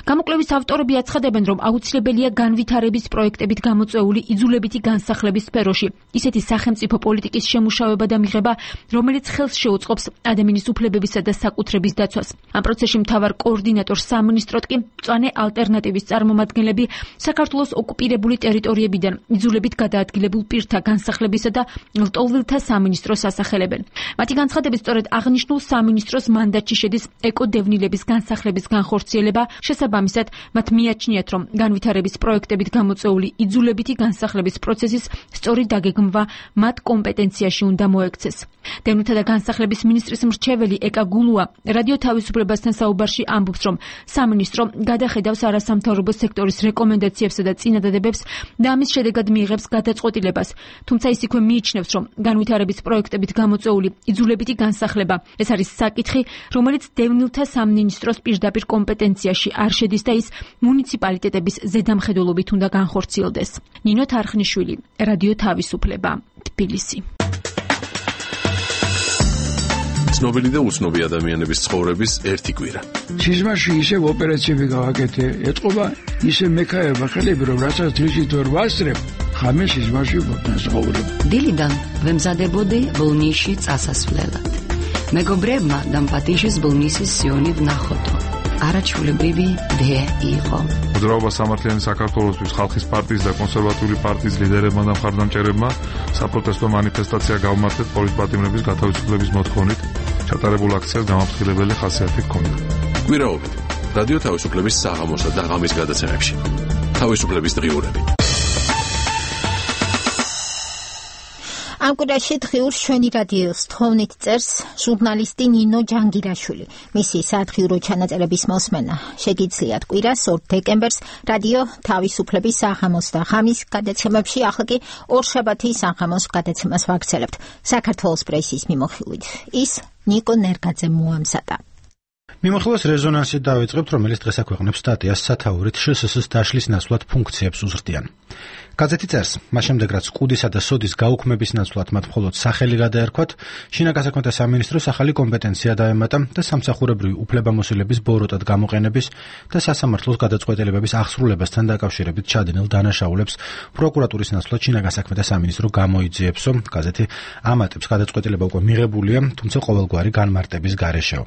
გამოკვლევის ავტორები აცხადებენ, რომ აუცილებელია განვითარების პროექტებით გამოწვეული იძულებითი განსახლების სფეროში ისეთი სახელმწიფო პოლიტიკის შემუშავება და მიღება, რომელიც ხელს შეუწყობს ადამიანის უფლებებისა და საკუთრების დაცვას. ამ პროცესში მთავარ კოორდინატორ სამინისტროდ კი მწვანე ალტერნატივის წარმომადგენლები საქართველოს ოკუპირებული ტერიტორიებიდან იძულებით გადაადგილებულ პირთა განსახლებისა და ლტოლვილთა სამინისტროს ასახელებენ. მათი განცხადებით, სწორედ აღნიშნულ სამინისტროს მანდატში შედის ეკოდევნილების განსახლების განხორციელება, შესაბამისად შესაბამისად, მათ მიაჩნიათ, რომ განვითარების პროექტებით გამოწვეული იძულებითი განსახლების პროცესის სწორი დაგეგმვა მათ კომპეტენციაში უნდა მოექცეს. დევნილთა და განსახლების მინისტრის მრჩეველი ეკა გულუა რადიო თავისუფლებასთან საუბარში ამბობს, რომ სამინისტრო გადახედავს არასამთავრობო სექტორის რეკომენდაციებსა და წინადადებებს და ამის შედეგად მიიღებს გადაწყვეტილებას. თუმცა ის იქვე მიიჩნევს, რომ განვითარების პროექტებით გამოწვეული იძულებითი განსახლება ეს არის საკითხი, რომელიც დევნილთა სამინისტროს პირდაპირ კომპეტენციაში არ შედის და ის მუნიციპალიტეტების ზედამხედველობით უნდა განხორციელდეს. ნინო თარხნიშვილი, რადიო თავისუფლება, თბილისი. ცნობილი და უცნობი ადამიანების ცხოვრების ერთი კვირა. სიზმარში ისევ ოპერაციები გავაკეთე, ეთყობა ისე მექაება ხელები, რომ რასაც დღისით ვერ ვასწრებ, ხამე სიზმარში ვცხოვრობ. დილიდან ვემზადებოდი ბოლნისში წასასვლელად. მეგობრებმა და პატიჟის ბოლნისის სიონი ვნახოთო. არაჩვეულებრივი დე იყო. მოძრაობა სამართლიანი საქართველოსთვის ხალხის პარტიის და კონსერვატიული პარტიის ლიდერებმა და მხარდამჭერებმა საპროტესტო მანიფესტაცია გაუმართლეს პოლიტპატიმრების გათავისუფლების მოთხოვნით. ჩატარებულ აქციას გამაფრთხილებელი ხასიათი ჰქონდა. კვირაობით რადიო თავისუფლების საღამოსა და ღამის გადაცემებში. თავისუფლების დღიურები. ამ კვირაში დღიურს ჩვენი რადიოს თოვნით წერს ჟურნალისტი ნინო ჯანგირაშვილი. მისი სათხიურო ჩანაწერების მოსმენა შეგიძლიათ კვირას ორ დეკემბერს რადიო თავისუფლების საღამოს და ღამის გადაცემებში, ახლა კი ორშაბათის საღამოს გადაცემას ვაგრძელებთ საქართველოს პრესის მიმოხილვით. ის ნიკო ნერგაძემ მოამზადა. მიმოხილვას რეზონანსით დავიწყებთ, რომელიც დღეს აქვეყნებს სტატიას სათაურით შსს დაშლის ნაცვლად ფუნქციებს უზრდიან. გაზეთი წერს, მას შემდეგ რაც კუდისა და სოდის გაუქმების ნაცვლად მათ მხოლოდ სახელი გადაერქვათ, შინაგან საქმეთა სამინისტროს ახალი კომპეტენცია დაემატა და სამსახურებრივი უფლებამოსილების ბოროტად გამოყენების და სასამართლოს გადაწყვეტილებების აღსრულებასთან დაკავშირებით ჩადენილ დანაშაულებს პროკურატურის ნაცვლად შინაგან საქმეთა სამინისტრო გამოიძიებსო. გაზეთი ამატებს, გადაწყვეტილება უკვე მიღებულია, თუმცა ყოველგვარი განმარტების გარეშეო.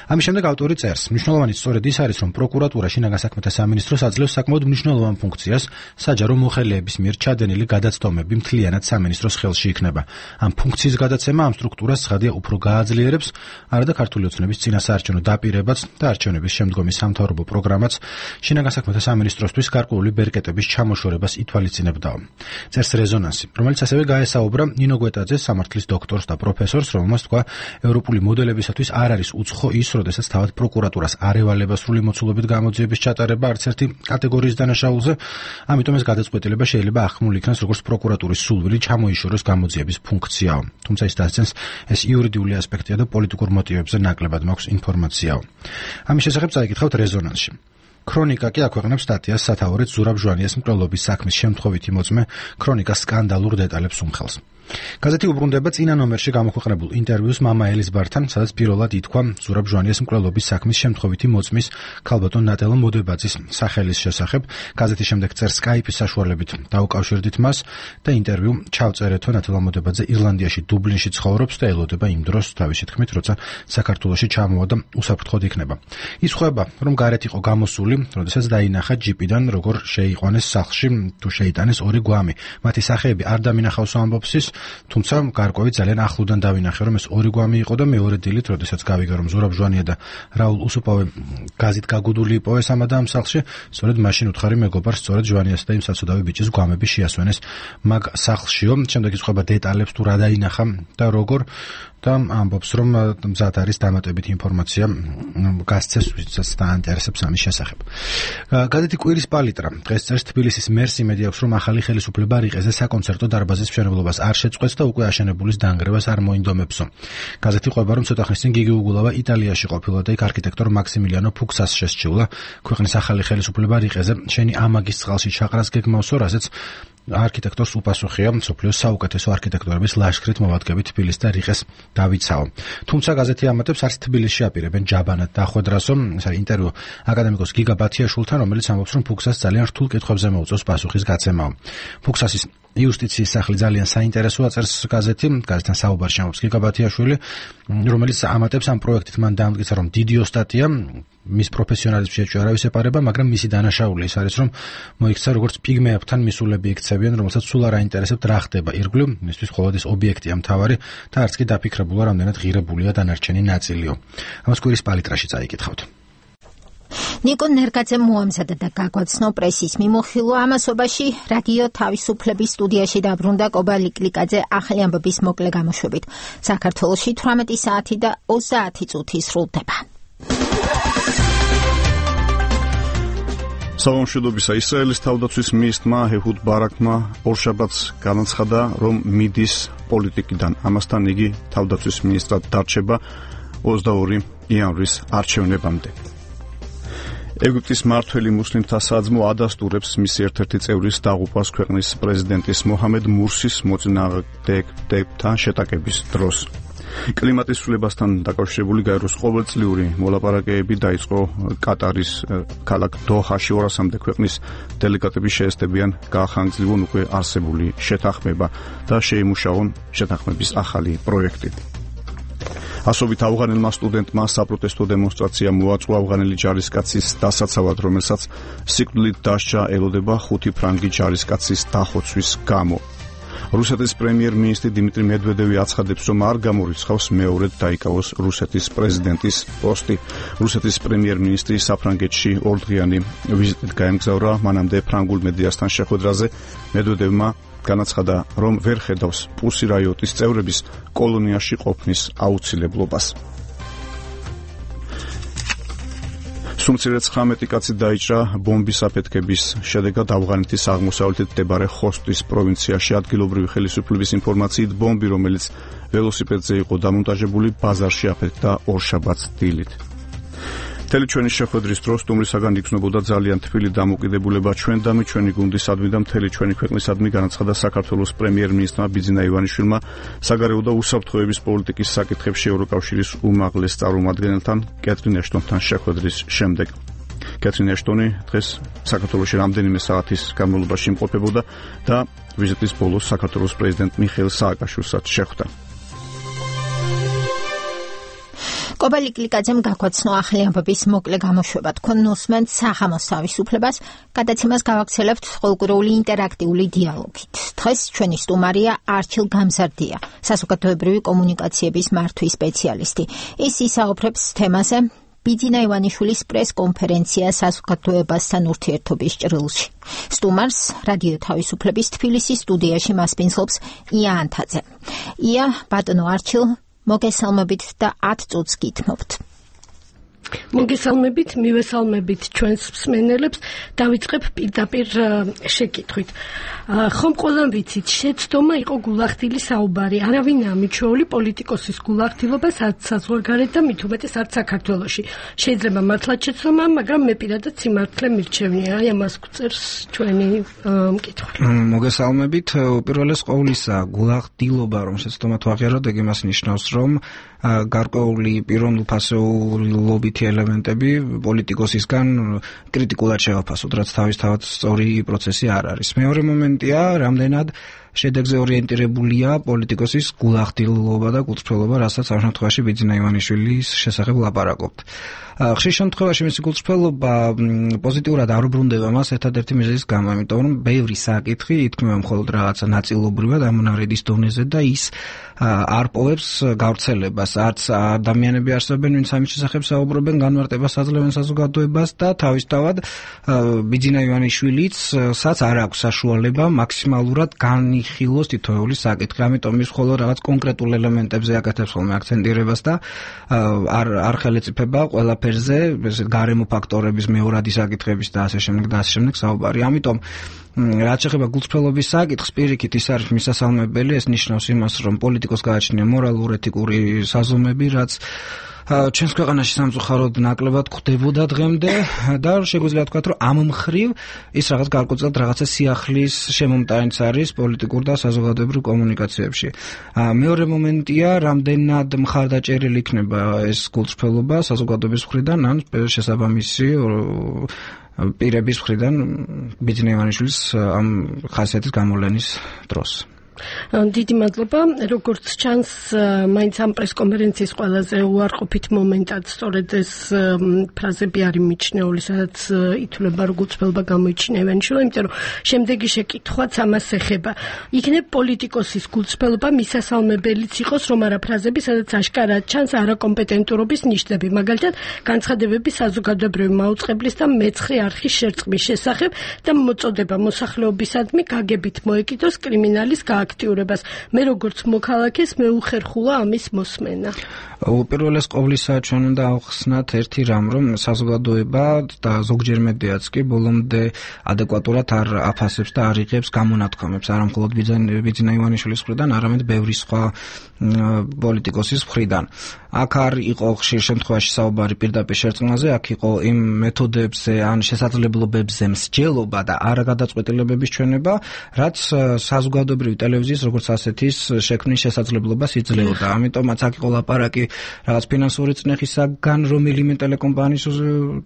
ამის შემდეგ ავტორი წერს, მნიშვნელოვანი სწორედ ის არის, რომ პროკურატურა შინაგან საქმეთა სამინისტროს აძლევს საკმაოდ მნიშვნელოვან ფუნქციას, საჯარო მოხელეების მიერ ჩადენილი გადაცდომები მთლიანად სამინისტროს ხელში იქნება. ამ ფუნქციის გადაცემა ამ სტრუქტურას ცხადია უფრო გააძლიერებს, არადა ქართული ოცნების წინასაარჩევნო დაპირებაც და არჩევნების შემდგომი სამთავრობო პროგრამაც შინაგან საქმეთა სამინისტროსთვის გარკვეული ბერკეტების ჩამოშორებას ითვალისწინებდაო. წერს რეზონანსი, რომელიც ასევე გაესაუბრა ნინო გვეტაძეს, სამართლის დოქტორს და პროფესორს, რომელმაც თქვა, ევროპული მოდელებისათვის არ არის უცხო ის, როდესაც თავად პროკურატურას არ ევალება სრული მოცულობით გამოძიების ჩატარება არც ერთი კატეგორიის დანაშაულზე, ამიტომ ეს გადაწყვეტილება შეიძლება ახმული იქნას როგორც პროკურატურის სულვილი ჩამოიშოროს გამოძიების ფუნქციაო. თუმცა ის დასცენს, ეს იურიდიული ასპექტია და პოლიტიკურ მოტივებზე ნაკლებად მაქვს ინფორმაციაო. ამის შესახებ წაიკითხავთ რეზონანსში. ქრონიკა კი აქვეყნებს სტატიას სათაურით ზურაბ ჟვანიას მკვლელობის საქმის შემთხვევითი მოწმე ქრონიკას სკანდალურ დეტალებს უმხელს. გაზეთი უბრუნდება წინა ნომერში გამოქვეყნებულ ინტერვიუს მამა ელიზბართან, სადაც პირველად ითქვა ზურაბ ჟვანიას მკვლელობის საქმის შემთხვევითი მოწმის ქალბატონ ნატელა მოდებაძის სახელის შესახებ. გაზეთი შემდეგ წერს სკაიპის საშუალებით დაუკავშირდით მას და ინტერვიუ ჩავწერეთო. ნატელა მოდებაძე ირლანდიაში დუბლინში ცხოვრობს და ელოდება იმ დროს, თავისი თქმით, როცა საქართველოში ჩამოვა და უსაფრთხოდ იქნება. ის ხვება, რომ გარეთ იყო გამოსული, როდესაც დაინახა ჯიპიდან, როგორ შეიყვანეს სახლში თუ შეიტანეს ორი გვამი. მათი სახეები არ დამინახავს ამბობს ის, თუმცა გარკვევით ძალიან ახლოდან დავინახე, რომ ეს ორი გვამი იყო და მეორე დილით, როდესაც გავიგე, რომ ზურაბ ჟვანია და რაულ უსუპავე გაზით გაგუდული იპოვეს ამადა ამ სახლში, სწორედ მაშინ უთხარი მეგობარს, სწორედ ჟვანიას და იმ საცოდავი ბიჭის გვამები შეასვენეს მაგ სახლშიო. შემდეგ იცხვება დეტალებს თუ რა დაინახა და როგორ და ამბობს, რომ მზად არის დამატებითი ინფორმაცია გასცეს, ვისაც დაინტერესებს ამის შესახებ. გაზეთი კვირის პალიტრა დღეს წერს, თბილისის მერს იმედი აქვს, რომ ახალი ხელისუფლება რიყეზე საკონცერტო დარბაზის მშენებლობას არ შეწყვეტს და უკვე აშენებულის დანგრევას არ მოინდომებსო. გაზეთი ყვება, რომ ცოტა ხნის წინ გიგი უგულავა იტალიაში ყოფილა და იქ არქიტექტორ მაქსიმილიანო ფუქსას შესჩივლა. ქვეყნის ახალი ხელისუფლება რიყეზე შენი ამაგის წყალში ჩაყრას გეგმავსო, რასაც არქიტექტორს უპასუხია მსოფლიოს საუკეთესო არქიტექტორების ლაშქრით მოვადგებით თბილისს და რიყეს დავიცაო. თუმცა გაზეთი ამატებს, არც თბილისში აპირებენ ჯაბანად დახვედრასო. ეს არის ინტერვიუ აკადემიკოს გიგა ბათიაშვილთან, რომელიც ამბობს, რომ ფუქსას ძალიან რთულ კითხვებზე მოუწევს პასუხის გაცემაო. ფუქსასის იუსტიციის სახლი ძალიან საინტერესოა, წერს გაზეთი. გაზეთთან საუბარში ამბობს გიგა ბათიაშვილი, რომელიც ამატებს, ამ პროექტით მან დაამტკიცა, რომ დიდი ოსტატია, მის პროფესიონალიზმში ეჭვი არავის ეპარება, მაგრამ მისი დანაშაული ის არის, რომ მოიქცა როგორც პიგმეებთან მისულები იქცევიან, რომელსაც სულ არ აინტერესებთ რა ხდება ირგვლივ, მისთვის მხოლოდ ეს ობიექტია მთავარი და არც კი დაფიქრებულა, რამდენად ღირებულია დანარჩენი ნაწილიო. ამას კვირის პალიტრაში წაიკითხავთ. ნიკო ნერგაძემ მოამზადა და გაგვაცნო პრესის მიმოხილვა ამასობაში რადიო თავისუფლების სტუდიაში დაბრუნდა კობა ლიკლიკაძე ახალი ამბების მოკლე გამოშვებით. საქართველოში თვრამეტი საათი და ოცდაათი წუთი სრულდება. სამომშვიდობისა ისრაელის თავდაცვის მინისტრმა ეჰუდ ბარაკმა ორშაბათს განაცხადა, რომ მიდის პოლიტიკიდან. ამასთან იგი თავდაცვის მინისტრად დარჩება ოცდაორი იანვრის არჩევნებამდე. ეგვიპტის მმართველი მუსლიმთა საძმო ადასტურებს მისი ერთ-ერთი წევრის დაღუპვას ქვეყნის პრეზიდენტის მოჰამედ მურსის მოწინააღმდეგებთან შეტაკების დროს. კლიმატის ცვლილებასთან დაკავშირებული გაეროს ყოველწლიური მოლაპარაკებები დაიწყო კატარის ქალაქ დოჰაში. ორასამდე ქვეყნის დელეგატები შეესწებიან გაახანგრძლიwon უკვე არსებული შეთანხმება და შეიმუშაონ შეთანხმების ახალი პროექტი. ასობით ავღანელმა სტუდენტმა საპროტესტო დემონსტრაცია მოაწყო ავღანელი ჯარისკაცის დასაცავად, რომელსაც სიკვდილით დასჯა ელოდება ხუთი ფრანგი ჯარისკაცის დახოცვის გამო. რუსეთის პრემიერ-მინისტრი დიმიტრი მედვედევი აცხადებს, რომ არ გამორიცხავს მეორედ დაიკავოს რუსეთის პრეზიდენტის პოსტი. რუსეთის პრემიერ-მინისტრი საფრანგეთში ორდღიანი ვიზიტით გაემგზავრა. მანამდე ფრანგულ მედიასთან შეხვედრაზე მედვედევმა განაცხადა, რომ ვერ ხედავს პუსი რაიოტის წევრების კოლონიაში ყოფნის აუცილებლობას. სუმცირე ცხრამეტი კაცი დაიჭრა ბომბის აფეთქების შედეგად ავღანეთის აღმოსავლეთით მდებარე ხოსტის პროვინციაში. ადგილობრივი ხელისუფლების ინფორმაციით ბომბი, რომელიც ველოსიპედზე იყო დამონტაჟებული, ბაზარში აფეთქდა ორშაბათს დილით. მთელი ჩვენი შეხვედრის დროს სტუმრისაგან იგრძნობოდა ძალიან თბილი დამოკიდებულება ჩვენდამი, ჩვენი გუნდისადმი და მთელი ჩვენი ქვეყნისადმი, განაცხადა საქართველოს პრემიერ-მინისტრმა ბიძინა ივანიშვილმა საგარეო და უსაფრთხოების პოლიტიკის საკითხებში ევროკავშირის უმაღლეს წარმომადგენელთან კეთრინ ეშტონთან შეხვედრის შემდეგ. კეთრინ ეშტონი დღეს საქართველოში რამდენიმე საათის განმავლობაში იმყოფებოდა და ვიზიტის ბოლოს საქართველოს პრეზიდენტ მიხეილ სააკაშვილსაც შეხვდა. კობა ლიკლიკაძემ გაგვაცნო ახალი ამბების მოკლე გამოშვება. თქვენ ნუსმენთ საღამოს თავისუფლებას, გადაცემას გავაქცელებთ ყოველკვირეული ინტერაქტიული დიალოგით. დღეს ჩვენი სტუმარია არჩილ გამზარდია, საზოგადოებრივი კომუნიკაციების მართვის სპეციალისტი. ის ისაუბრებს თემაზე ბიძინა ივანიშვილის პრეს-კონფერენცია საზოგადოებასთან ურთიერთობის ჭრილში. სტუმარს რადიო თავისუფლების თბილისის სტუდიაში მასპინძლობს ია ანთაძე. ია, ბატონო არჩილ, მოგესალმებით და ათ წუთს გითმობთ. მოგესალმებით, მივესალმებით ჩვენს მსმენელებს. დავიწყებ პირდაპირ შეკითხვით. ხომ ყველამ ვიცით, შეცდომა იყო გულახდილი საუბარი. არავინაა მიჩვეული პოლიტიკოსის გულახდილობას არც საზღვარგარეთ და მით უმეტეს არც საქართველოში. შეიძლება მართლაც შეცდომა, მაგრამ მე პირადად სიმართლე მირჩევნია. აი ამას გვწერს ჩვენი მკითხვა. მოგესალმებით. უპირველეს ყოვლისა, გულახდილობა რომ შეცდომა თუ აღიაროთ, ეგ იმას ნიშნავს, რომ გარკვეული პიროვნულფასეულობითი ელემენტები პოლიტიკოსისგან კრიტიკულად შევაფასოთ, რაც თავისთავად სწორი პროცესი არ არის. მეორე მომენტია, რამდენად შედეგზე ორიენტირებულია პოლიტიკოსის გულახდილობა და გულწრფელობა, რასაც ამ შემთხვევაში ბიძინა ივანიშვილის შესახებ ლაპარაკობთ. ხშირ შემთხვევაში მისი გულწრფელობა პოზიტიურად არ უბრუნდება მას ერთადერთი მიზეზის გამო, იმიტომ რომ ბევრი საკითხი ითქმება მხოლოდ რაღაცა ნაწილობრივად ამონარიდის დონეზე და ის არ პოვებს გავრცელებას. არც ადამიანები არსებობენ, ვინც ამის შესახებ საუბრობენ, განმარტებას აძლევენ საზოგადოებას და თავისთავად ბიძინა ივანიშვილიცაც არ აქვს საშუალება მაქსიმალურად განიხილოს თითოეული საკითხი. ამიტომ ის მხოლოდ რაღაც კონკრეტულ ელემენტებზე აკეთებს ხოლმე აქცენტირებას და არ არ ხელეწიფება ყველაფერზე, ესეთ გარემო ფაქტორების მეორადი საკითხების და ასე შემდეგ და ასე შემდეგ საუბარი. ამიტომ რაც შეეხება გულწრფელობის საკითხს, პირიქით ის არის მისასალმებელი, ეს ნიშნავს იმას, რომ პოლიტიკოს გააჩნია მორალურ-ეთიკური საზომები, რაც ჩვენს ქვეყანაში სამწუხაროდ ნაკლებად ხდებოდა დღემდე და შეგვიძლია ვთქვათ, რომ ამ მხრივ ის რაღაც გარკვეულწილად რაღაცა სიახლის შემომტანიც არის პოლიტიკურ და საზოგადოებრივ კომუნიკაციებში. მეორე მომენტია, რამდენად მხარდაჭერილი იქნება ეს გულწრფელობა საზოგადოების მხრიდან ან შესაბამისი პირების მხრიდან ბიძინა ივანიშვილის ამ ხასიათის გამოვლენის დროს. დიდი მადლობა. როგორც ჩანს, მაინც ამ პრესკონფერენციის ყველაზე უარყოფით მომენტად სწორედ ეს ფრაზები არის მიჩნეული, სადაც ითვლება როგორც ველბა გამოიჩინა ივანიშვილი, იმიტომ რომ შემდეგი შეკითხვაც ამას ეხება. იქნებ პოლიტიკოსის გულწრფელობა მისასალმებელიც იყოს, რომ არა ფრაზები, სადაც აშკარად ჩანს არაკომპეტენტურობის ნიშნები, მაგალითად, განცხადებები საზოგადოებრივი მაუწყებლის და მეცხრე არხის შერწყმის შესახებ და მოწოდება მოსახლეობისადმი გაგებით მოეკიდოს კრიმინალის აქტიურებას. მე როგორც მოქალაქეს მე უხერხულა ამის მოსმენა. უპირველეს ყოვლისა ჩვენ უნდა ავხსნათ ერთი რამ, რომ საზოგადოება და ზოგჯერ მედიაც კი ბოლომდე ადეკვატურად არ აფასებს და არ იღებს გამონათქვამებს, არა მხოლოდ ბიძინა ივანიშვილის მხრიდან, არამედ ბევრი სხვა პოლიტიკოსის მხრიდან. აქ არ იყო ხშირ შემთხვევაში საუბარი პირდაპირ შერწყმაზე, აქ იყო იმ მეთოდებზე ან შესაძლებლობებზე მსჯელობა და არაგადაწყვეტილებების ჩვენება, რაც საზოგადოებრივი ტელევიზიის როგორც ასეთის შექმნის შესაძლებლობას იძლეოდა. ამიტომაც აქ იყო ლაპარაკი რაღაც ფინანსური წნეხისაგან რომელიმე ტელეკომპანიის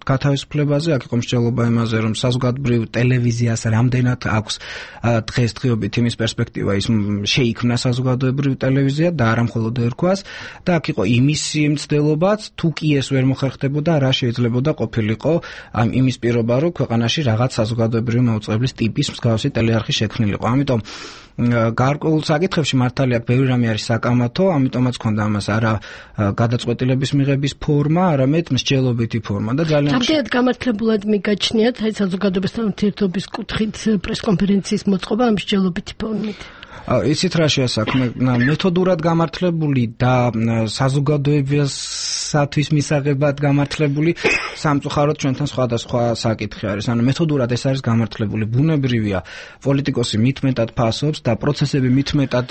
გათავისუფლებაზე, აქ იყო მსჯელობა იმაზე, რომ საზოგადოებრივ ტელევიზიას რამდენად აქვს დღესდღეობით იმის პერსპექტივა, ის შეიქმნა საზოგადოებრივ ტელევიზია და არა მხოლოდ ერქვას და აქ იყო იმისი მცდელობაც, თუ კი ეს ვერ მოხერხდებოდა, რა შეიძლებოდა ყოფილიყო ამ იმის პირობა, რომ ქვეყანაში რაღაც საზოგადოებრივი მაუწყებლის ტიპის მსგავსი ტელეარხი შექმნილიყო. ამიტომ გარკვეულ საკითხებში მართალია ბევრი რამე არის საკამათო, ამიტომაც ქონდა ამას არა გადაწყვეტილების მიღების ფორმა, არამედ მსჯელობითი ფორმა და ძალიან რამდენად გამართლებულად მიგაჩნიათ აი საზოგადოებასთან ურთიერთობის კუთხით პრესკონფერენციის მოწყობა ამ მსჯელობითი ფორმით? იცით რა შეასაქმე, მეთოდურად გამართლებული და საზოგადოებისათვის მისაღებად გამართლებული სამწუხაროდ ჩვენთან სხვადასხვა საკითხი არის. ანუ მეთოდურად ეს არის გამართლებული. ბუნებრივია, პოლიტიკოსი მitmetად ფასობს და პროცესები მitmetად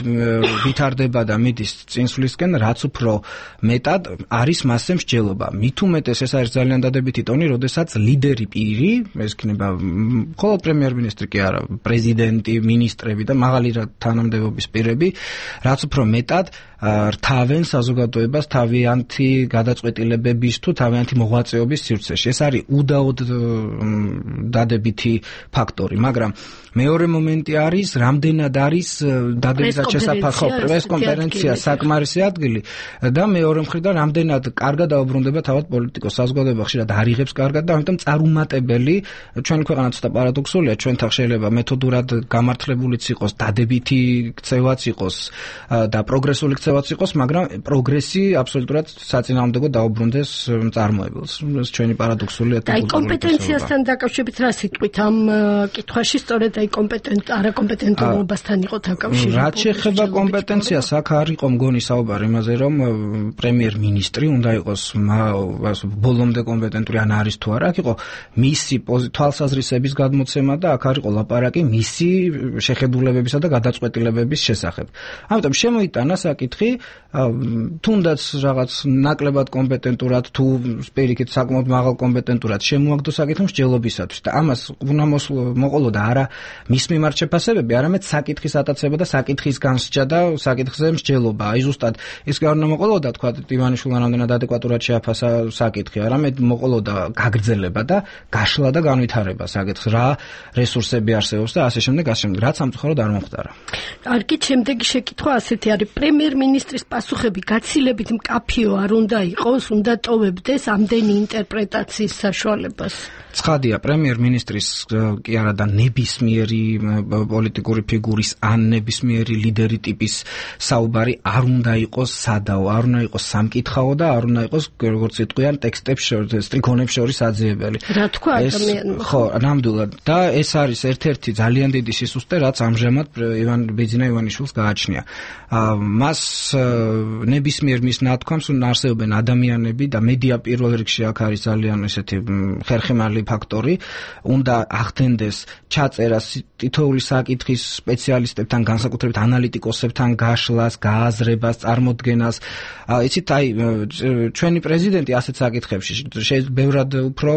ვითარდება და მიდის წინსვლისკენ, რაც უფრო მეტად არის მასზე მსჯელობა. მით უმეტეს ეს არის ძალიან დადებითი ტონი, როდესაც ლიდერი პირი, ეს იქნება მხოლოდ პრემიერ-მინისტრი კი არა, პრეზიდენტი, მინისტრები და მაღალი თანამდებობის პირები, რაც უფრო მეტად რთავენ საზოგადოებას თავიანთი გადაწყვეტილებების თუ თავიანთი მოღვაწეობის სივრცეში. ეს არის უდაოდ დადებითი ფაქტორი, მაგრამ მეორე მომენტი არის, რამდენად არის დადებითად შესაფახო პრესკონფერენცია საკმარისი ადგილი და მეორე მხრიდან რამდენად კარგად დაუბრუნდება თავად პოლიტიკოს. საზოგადოება ხშირად არ იღებს კარგად და ამიტომ წარუმატებელი, ჩვენი ქვეყანა ცოტა პარადოქსულია, ჩვენთან შეიძლება მეთოდურად გამართლებულიც იყოს, დადებითი ქცევაც იყოს და პროგრესული ქცევაც იყოს, მაგრამ პროგრესი აბსოლუტურად საწინააღმდეგო დაუბრუნდეს მწარმოებელს. ეს ჩვენი პარადოქსულია. აი კომპეტენციასთან დაკავშირებით რა სიტყვით ამ კითხვაში სწორედ აი კომპეტენტ არაკომპეტენტობასთან იყო დაკავშირებული. რაც შეეხება კომპეტენციას, აქ არ იყო მგონი საუბარი იმაზე, რომ პრემიერ-მინისტრი უნდა იყოს ბოლომდე კომპეტენტური ან არის თუ არა, აქ იყო მისი თვალსაზრისების გადმოცემა და აქ არ იყო ლაპარაკი მისი შეხედულებებისა და გადაწყვეტილებების შესახებ. ამიტომ შემოიტანა საკითხი, თუნდაც რაღაც ნაკლებად კომპეტენტურად თუ პირიქით საკმაოდ მაღალ კომპეტენტურად შემოაგდო საკითხი მსჯელობისათვის და ამას უნდა მოყოლოდა არა მის მიმართ შეფასებები, არამედ საკითხის ატაცება და საკითხის განსჯა და საკითხზე მსჯელობა. აი ზუსტად ეს კი არ უნდა მოყოლოდა, თქვა ივანიშვილმა რამდენად ადეკვატურად შეაფასა საკითხი, არამედ მოყოლოდა გაგრძელება და გაშლა და განვითარება საკითხს, რა რესურსები არსებობს და ასე შემდეგ, ასე შემდეგ, რაც სამწუხაროდ არ მომხდარა. არგი შემდეგი შეკითხვა ასეთი არის, პრემიერ-მინისტრის პასუხები გაცილებით მკაფიო არ უნდა იყოს, უნდა ტოვებდეს ამდენი ინტერპრეტაციის საშუალებას. ცხადია, პრემიერ-მინისტრის კი არა და ნებისმიერი პოლიტიკური ფიგურის ან ნებისმიერი ლიდერი ტიპის საუბარი არ უნდა იყოს სადაო, არ უნდა იყოს სამკითხაო და არ უნდა იყოს როგორც იტყვიან ტექსტებს შორის, სტრიქონებს შორის აძიებელი. რა თქვა ადამიანმა? ხო, ნამდვილად და ეს არის ერთ-ერთი ძალიან დიდი სისუსტე, რაც ამჟამად ივან ბიძინა ივანიშვილს გააჩნია. მას ნებისმიერ მის ნათქვამს არსებობენ ადამიანები და მედია პირველ რიგში აქ არის ძალიან ესეთი ხერხემალი ფაქტორი, უნდა ახდენდეს ჩაწერას თითოეული საკითხის სპეციალისტებთან, განსაკუთრებით ანალიტიკოსებთან გაშლას, გააზრებას, წარმოდგენას. იცით, აი ჩვენი პრეზიდენტი ასეთ საკითხებში შეიძლება ბევრად უფრო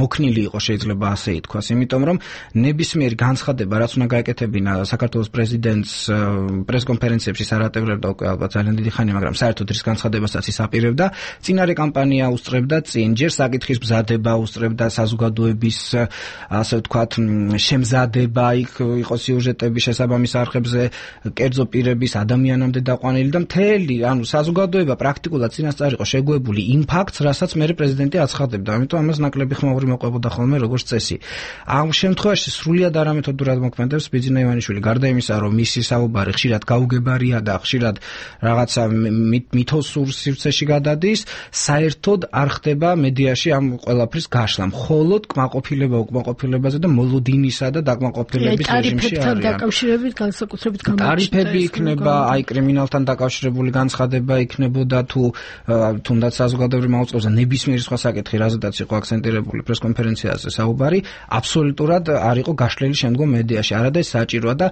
მოქნილი იყოს, შეიძლება ასე ითქვას, იმიტომ რომ ნებისმიერი განცხადება, რაც უნდა გაეკეთებინა საქართველოს პრეზიდენტს პრეზიდენტს პრესკონფერენციებში სარატევრებდა უკვე ალბათ ძალიან დიდი ხანია, მაგრამ საერთოდ ის განცხადებასაც ის აპირებდა. წინარე კამპანია უსწრებდა წინ, ჯერ საკითხის მზადება უსწრებდა, საზოგადოების ასე ვთქვათ შემზადება, იქ იყო სიუჟეტები შესაბამის არხებზე, კერძო პირების ადამიანამდე დაყვანილი და მთელი, ანუ საზოგადოება პრაქტიკულად წინასწარ იყო შეგუებული იმ ფაქტს, რასაც მე პრეზიდენტი აცხადებდა. ამიტომ ამას ნაკლები ხმაური მოყვებოდა ხოლმე როგორც წესი. ამ შემთხვევაში სრულიად არამეთოდურად მოქმედებს ბიძინა ივანიშვილი. გარდა იმისა, რომ მისი საუბარი ხშირად გაუგებარია და ხშირად რაღაცა მითოსურ სივრცეში გადადის, საერთოდ არ ხდება მედიაში ამ ყველაფრის გაშლა. მხოლოდ კმაყოფილება უკმაყოფილებაზე და მოლოდინისა და დაკმაყოფილების რეჟიმში არიან. დაკავშირებით განსაკუთრებით გამოჩნდა. ტარიფები იქნება, აი კრიმინალთან დაკავშირებული განცხადება იქნებოდა თუ თუნდაც საზოგადოებრივ მაუწყებელზე ნებისმიერი სხვა საკითხი, რაზედაც იყო აქცენტირებული პრესკონფერენციაზე საუბარი, აბსოლუტურად არ იყო გაშლილი შემდგომ მედიაში. არადა ეს საჭიროა და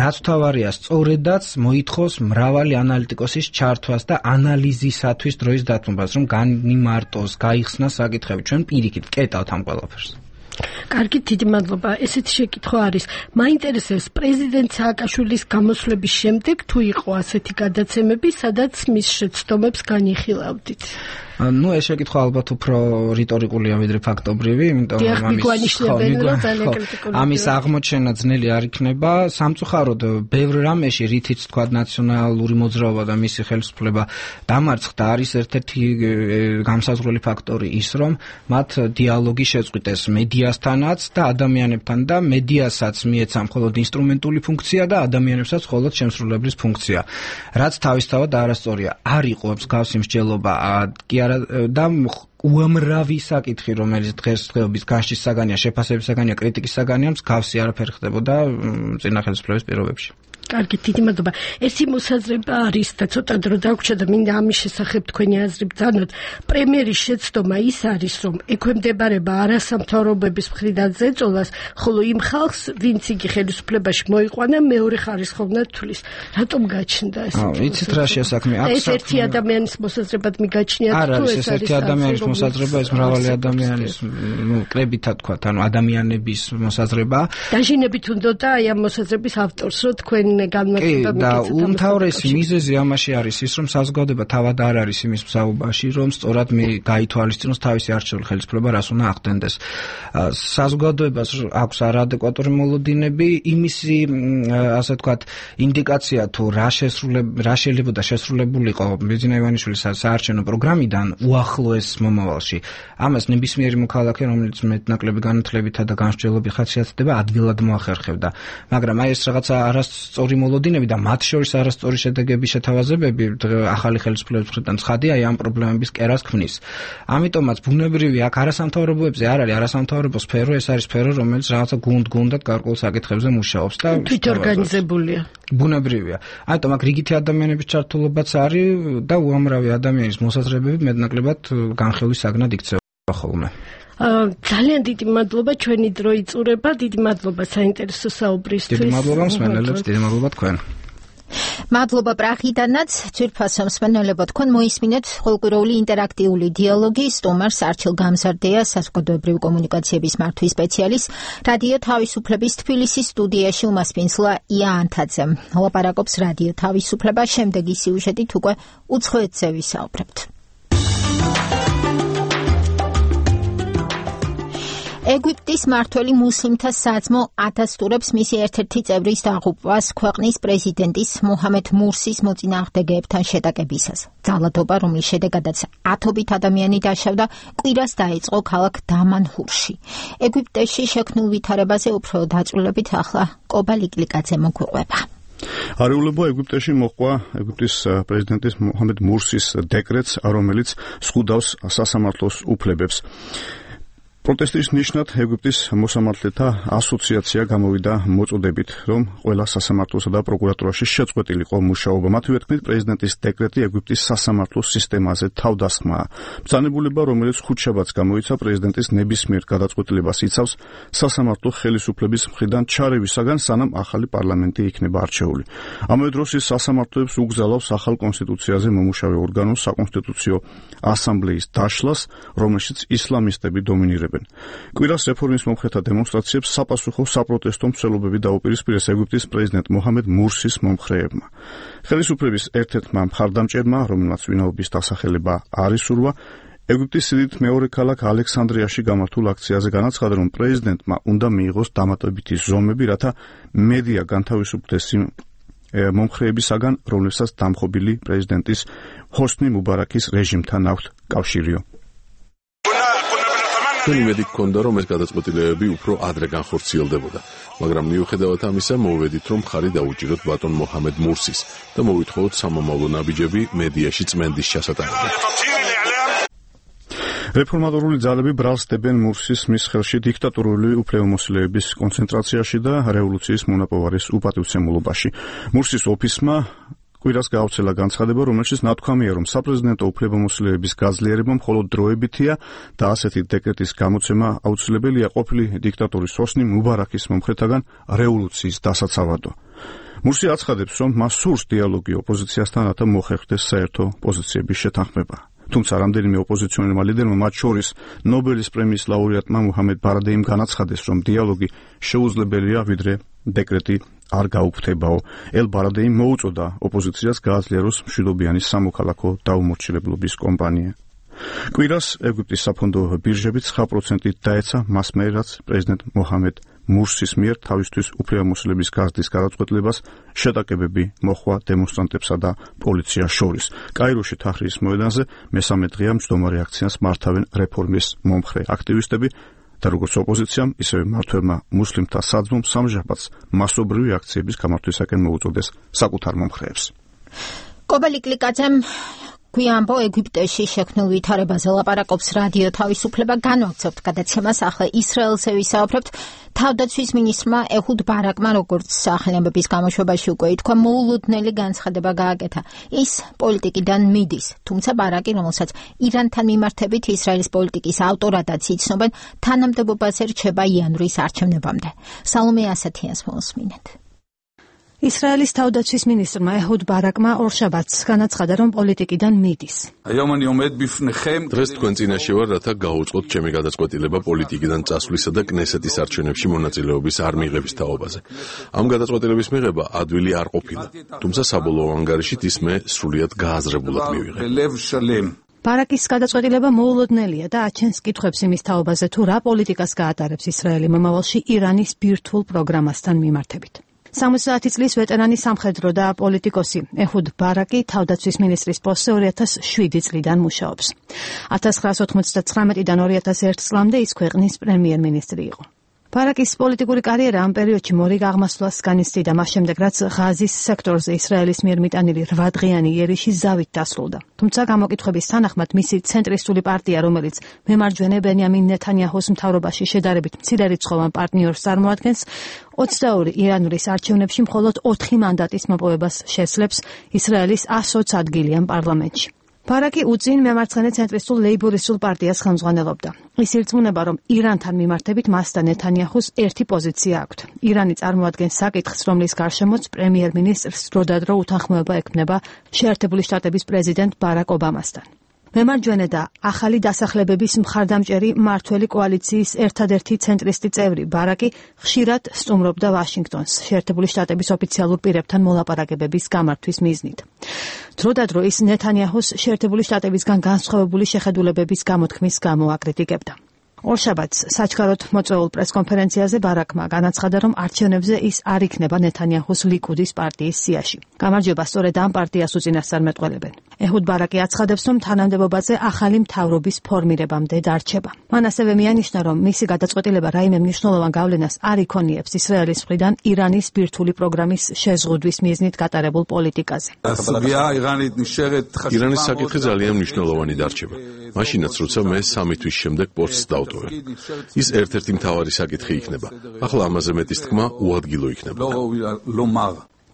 რაც თავარია, სწორედაც მოითხოვს მრავალი ანალიტიკოსის ჩართვას და ანალიზისათვის დროის დათმობას, რომ განიმარტოს, გაიხსნას საკითხები. ჩვენ პირიქით კეტავთ ამ ყველაფერს. კარგი, დიდი მადლობა. ესეთი შეკითხვა არის. მაინტერესებს პრეზიდენტ სააკაშვილის გამოსვლების შემდეგ თუ იყო ასეთი გადაცემები, სადაც მის შეცდომებს განიხილავდით? ну ეს შეკითხვა ალბათ უფრო რიტორიკულია ვიდრე ფაქტობრივი, იმიტომ რომ ამის აღმოჩენა ძნელი არ იქნება. სამწუხაროდ ბევრ რამეში, რითიც თქვა ნაციონალური მოძრაობა და მისი ხელისუფლება დამარცხდა, არის ერთ-ერთი გამსაზღვრელი ფაქტორი ის, რომ მათ დიალოგი შეწყვიტეს მედიასთანაც და ადამიანებთან და მედიასაც მიეცა მხოლოდ ინსტრუმენტული ფუნქცია და ადამიანებსაც მხოლოდ შემსრულებლის ფუნქცია. რაც თავისთავად არასწორია. არ იყო მსგავსი მსჯელობა კი და უამრავი საკითხი, რომელიც დღესდღეობის განშტის საგანია, შეფასების საგანია, კრიტიკის საგანია, მსგავსი არაფერი ხდებოდა წინა ხელისუფლების პირობებში. კარგი, დიდი მადლობა. ერთი მოსაზრება არის და ცოტა დრო დაგვრჩა და მინდა ამის შესახებ თქვენი აზრი ბრძანოთ. პრემიერის შეცდომა ის არის, რომ ექვემდებარება არასამთავრობოების მხრიდან ზეწოლას, ხოლო იმ ხალხს, ვინც იგი ხელისუფლებაში მოიყვანა, მეორე ხარისხოვნად თulis. რატომ გაჩნდა ეს? აა, იცით რა შეასაქმე? ეს ერთი ადამიანის მოსაზრებად მიგაჩნიათ თუ ეს არის ერთი ადამიანის მოსაზრება, ეს მრავალი ადამიანის, ну, კრებითად თქვა, ანუ ადამიანების მოსაზრება. დაჟინებით უნდოდა აი ამ მოსაზრების ავტორს, რომ თქვენ კი და უმთავრესი მიზეზი ამაში არის ის, რომ საზოგადოება თავად არ არის იმის მსაუბარში, რომ სწორად მე გაითვალისწინოს თავისი არჩეული ხელისუფლება რას უნდა ახდენდეს. საზოგადოებას აქვს არაადეკვატური მოლოდინები, იმისი ასე ვთქვათ ინდიკაცია თუ რა შესრულებ რა შეიძლება შესრულებულიყო ბიძინა ივანიშვილის საარჩევნო პროგრამიდან უახლოეს მომავალში. ამას ნებისმიერი მოქალაქე, რომელიც მეტნაკლები განათლებითა და განსჯელობით ხასიათდება, ადვილად მოახერხებდა. მაგრამ აი ეს რაღაცა არასწორი მოლოდინები და მათ შორის არასწორი შედეგების შეთავაზებები ახალი ხელისუფლების მხრიდან ცხადია აი ამ პრობლემების კერას ქმნის. ამიტომაც ბუნებრივი აქ არასამთავრობოებზე არ არის არასამთავრობო სფერო, ეს არის სფერო, რომელიც რაღაცა გუნდ-გუნდად გარკვეულ საკითხებზე მუშაობს და თვითორგანიზებულია. ბუნებრივია. ამიტომ აქ რიგითი ადამიანების ჩართულობაც არის და უამრავი ადამიანის მოსაზრებები მეტნაკლებად განხილვის საგნად იქცევა ხოლმე. ძალიან დიდი მადლობა, ჩვენი დრო იწურება, დიდი მადლობა საინტერესო საუბრისთვის. დიდი მადლობა მსმენელებს, დიდი მადლობა თქვენ. მადლობა პრაღიდანაც, ძვირფასო მსმენელებო, თქვენ მოისმინეთ ყოველკვირეული ინტერაქტიული დიალოგი სტუმარს არჩილ გამზარდეას, საზოგადოებრივი კომუნიკაციების მართვის სპეციალისტ, რადიო თავისუფლების თბილისის სტუდიაში უმასპინძლა ია ანთაძემ. ლაპარაკობს რადიო თავისუფლება, შემდეგი სიუჟეტით უკვე უცხოეთზე ვისაუბრებთ. ეგვიპტის მართველი მუსლიმთა საძმო ადასტურებს მისი ერთ-ერთი წევრის დაღუპვას ქვეყნის პრეზიდენტის მოჰამედ მურსის მოწინააღმდეგეებთან შეტაკებისას. ძალადობა, რომლის შედეგადაც ათობით ადამიანი დაშავდა, კვირას დაიწყო ქალაქ დამანჰურში. ეგვიპტეში შექმნილ ვითარებაზე უფრო დაწვრილებით ახლა კობა ლიკლიკაძე მოგვიყვება. არეულებო ეგვიპტეში მოყვა ეგვიპტის პრეზიდენტის მოჰამედ მურსის დეკრეტს, რომელიც ზღუდავს სასამართლოს უფლებებს. პროტესტის ნიშნად ეგვიპტის მოსამართლეთა ასოციაცია გამოვიდა მოწოდებით, რომ ყველა სასამართლოსა და პროკურატურაში შეწყვეტილიყო მუშაობა. მათივე თქმით, პრეზიდენტის დეკრეტი ეგვიპტის სასამართლოს სისტემაზე თავდასხმაა. ბრძანებულება, რომელიც ხუთშაბათს გამოიცა, პრეზიდენტის ნებისმიერ გადაწყვეტილებას იცავს სასამართლო ხელისუფლების მხრიდან ჩარევისაგან, სანამ ახალი პარლამენტი იქნება არჩეული. ამავე დროს ის სასამართლოებს უგზავნავს ახალ კონსტიტუციაზე მომუშავე ორგანოს საკონსტიტუციო ასამბლეის დაშლას, რომელშიც ისლამისტები დომინირებენ. აფასებენ. კვირას რეფორმის მომხრეთა დემონსტრაციებს საპასუხო საპროტესტო მცველობები დაუპირისპირეს ეგვიპტის პრეზიდენტ მოჰამედ მურსის მომხრეებმა. ხელისუფლების ერთ-ერთმა მხარდამჭერმა, რომელმაც ვინაობის დასახელება არ ისურვა, ეგვიპტის სიდიდით მეორე ქალაქ ალექსანდრიაში გამართულ აქციაზე განაცხადა, რომ პრეზიდენტმა უნდა მიიღოს დამატებითი ზომები, რათა მედია განთავისუფლდეს იმ მომხრეებისაგან, რომლებსაც დამხობილი პრეზიდენტის ჰოსნი მუბარაკის რეჟიმთან აქვთ კავშირიო. ჩვენი იმედი გქონდა, რომ ეს გადაწყვეტილებები უფრო ადრე განხორციელდებოდა, მაგრამ მიუხედავად ამისა, მოვედით, რომ ხარი დაუჭიროთ ბატონ მოჰამედ მურსის და მოვითხოვოთ სამომავლო ნაბიჯები მედიაში წმენდის ჩასატარებლად. რეფორმატორული ძალები ბრალსდებენ მურსის მის ხელში დიქტატურული უფლებამოსილების კონცენტრაციაში და რევოლუციის მონაპოვარის უპატივცემულობაში. მურსის ოფისმა კვირას გაავრცელა განცხადება, რომელშიც ნათქვამია, რომ საპრეზიდენტო უფლებამოსილების გაძლიერება მხოლოდ დროებითია და ასეთი დეკრეტის გამოცემა აუცილებელია ყოფილი დიქტატორის ჰოსნი მუბარაკის მომხრეთაგან რევოლუციის დასაცავადო. მურსი აცხადებს, რომ მას სურს დიალოგი ოპოზიციასთან, რათა მოხერხდეს საერთო პოზიციების შეთანხმება. თუმცა რამდენიმე ოპოზიციონერმა ლიდერმა, მათ შორის ნობელის პრემიის ლაურეატმა მუჰამედ ბარადეიმ განაცხადეს, რომ დიალოგი შეუძლებელია, ვიდრე დეკრეტი არ გაუქმდებაო. ელ ბარადეიმ მოუწოდა ოპოზიციას გააძლიეროს მშვიდობიანი სამოქალაქო დაუმორჩილებლობის კომპანია. კვირას ეგვიპტის საფონდო ბირჟები ცხრა პროცენტით დაეცა მას მიერ, რაც პრეზიდენტ მოჰამედ მურსის მიერ თავისთვის უფლებამოსილების გაზრდის გადაწყვეტილებას შეტაკებები მოხვა დემონსტრანტებსა და პოლიციას შორის. კაიროში თაჰრირის მოედანზე მესამე დღეა მჯდომარე აქციას მართავენ რეფორმის მომხრე აქტივისტები და როგორც ოპოზიციამ, ისევე მმართველმა მუსლიმთა საძმომ სამჟაბათს მასობრივი აქციების გამართვისაკენ მოუწოდეს საკუთარ მომხრეებს. კობა ლიკლიკაძემ გვიანბო ეგვიპტეში შექმნილ ვითარებაზე ლაპარაკობს რადიო თავისუფლება. განვაგრძობთ გადაცემას. ახლა ისრაელზე ვისაუბრებთ. თავდაცვის მინისტრმა ეჰუდ ბარაკმა, როგორც სახელმწიფოს გამოშვებაში უკვე ითქვა, მოულოდნელი განცხადება გააკეთა. ის პოლიტიკიდან მიდის, თუმცა ბარაკი, რომელსაც ირანთან მიმართებით ისრაელის პოლიტიკის ავტორადაც იცნობენ, თანამდებობაზე რჩება იანვრის არჩევნებამდე. სალომე ასათიანს მოусმინეთ. ისრაელის თავდაცვის მინისტრმა ეჰუდ ბარაკმა ორშაბათს განაცხადა, რომ პოლიტიკიდან მიდის. დღეს თქვენ წინაშე ვარ, რათა გაუწყოთ ჩემი გადაწყვეტილება პოლიტიკიდან წასვლისა და კნესეთის არჩევნებში მონაწილეობის არ მიღების თაობაზე. ამ გადაწყვეტილების მიღება ადვილი არ ყოფილა, თუმცა საბოლოო ანგარიშით ის მე სრულიად გააზრებულად მივიღე. ბარაკის გადაწყვეტილება მოულოდნელია და აჩენს კითხვებს იმის თაობაზე, თუ რა პოლიტიკას გაატარებს ისრაელი მომავალში ირანის ბირთვულ პროგრამასთან მიმართებით. სამოცდაათი წლის ვეტერანი სამხედრო და პოლიტიკოსი ეჰუდ ბარაკი თავდაცვის მინისტრის პოსტზე ორი ათას შვიდი წლიდან მუშაობს. ათას ცხრაასი ოთხმოცდათვრამეტიდან ორი ათას ერთი წლამდე ის ქვეყნის პრემიერ-მინისტრი იყო. ბარაკის პოლიტიკური კარიერა ამ პერიოდში მორიგ აღმასვლას განიცდიდა, მას შემდეგ რაც ღაზის სექტორზე ისრაელის მიერ მიტანილი რვა დღიანი იერიში ზავით დასრულდა. თუმცა გამოკითხვების თანახმად მისი ცენტრისტული პარტია, რომელიც მემარჯვენე ბენიამინ ნეთანიაჰუს მთავრობაში შედარებით მცირერიცხოვან პარტნიორს წარმოადგენს, ოცდაორი იანვრის არჩევნებში მხოლოდ ოთხი მანდატის მოპოვებას შესძლებს ისრაელის ასოც ადგილიან პარლამენტში. ბარაკი უწინ მემარცხენე ცენტრისტულ ლეიბორისტულ პარტიას ხელმძღვანელობდა. ის ირწმუნება, რომ ირანთან მიმართებით მას და ნეთანიაჰუს ერთი პოზიცია აქვთ. ირანი წარმოადგენს საკითხს, რომლის გარშემოც პრემიერ-მინისტრს დროდადრო უთანხმოება ექმნება შეერთებული შტატების პრეზიდენტ ბარაკ ობამასთან. მემარჯვენე და ახალი დასახლებების მხარდამჭერი მმართველი კოალიციის ერთადერთი ცენტრისტი წევრი ბარაკი ხშირად სტუმრობდა ვაშინგტონს შეერთებული შტატების ოფიციალურ პირებთან მოლაპარაკებების გამართვის მიზნით. დროდადრო ის ნეთანიაჰუს შეერთებული შტატებისგან განსხვავებული შეხედულებების გამოთქმის გამო აკრიტიკებდა. ორშაბათს საჩქაროდ მოწვეულ პრესკონფერენციაზე ბარაკმა განაცხადა, რომ არჩევნებზე ის არ იქნება ნეთანიაჰუს ლიკუდის პარტიის სიაში. გამარჯვება სწორედ ამ პარტიას უწინასწარ მეტყველებენ. ეჰუდ ბარაკი აცხადებს, რომ თანამდებობაზე ახალი მთავრობის ფორმირებამდე დარჩება. მან ასევე მიანიშნა, რომ მისი გადაწყვეტილება რაიმე მნიშვნელოვან გავლენას არ იქონიებს ისრაელის მხრიდან ირანის ბირთვული პროგრამის შეზღუდვის მიზნით გატარებულ პოლიტიკაზე. ირანის საკითხი ძალიან მნიშვნელოვანი დარჩება. მაშინაც, როცა მე სამი თვის შემდეგ პოსტს დავტოვებ. ის ერთ-ერთი მთავარი საკითხი იქნება. ახლა ამაზე მეტის თქმა უადგილო იქნება.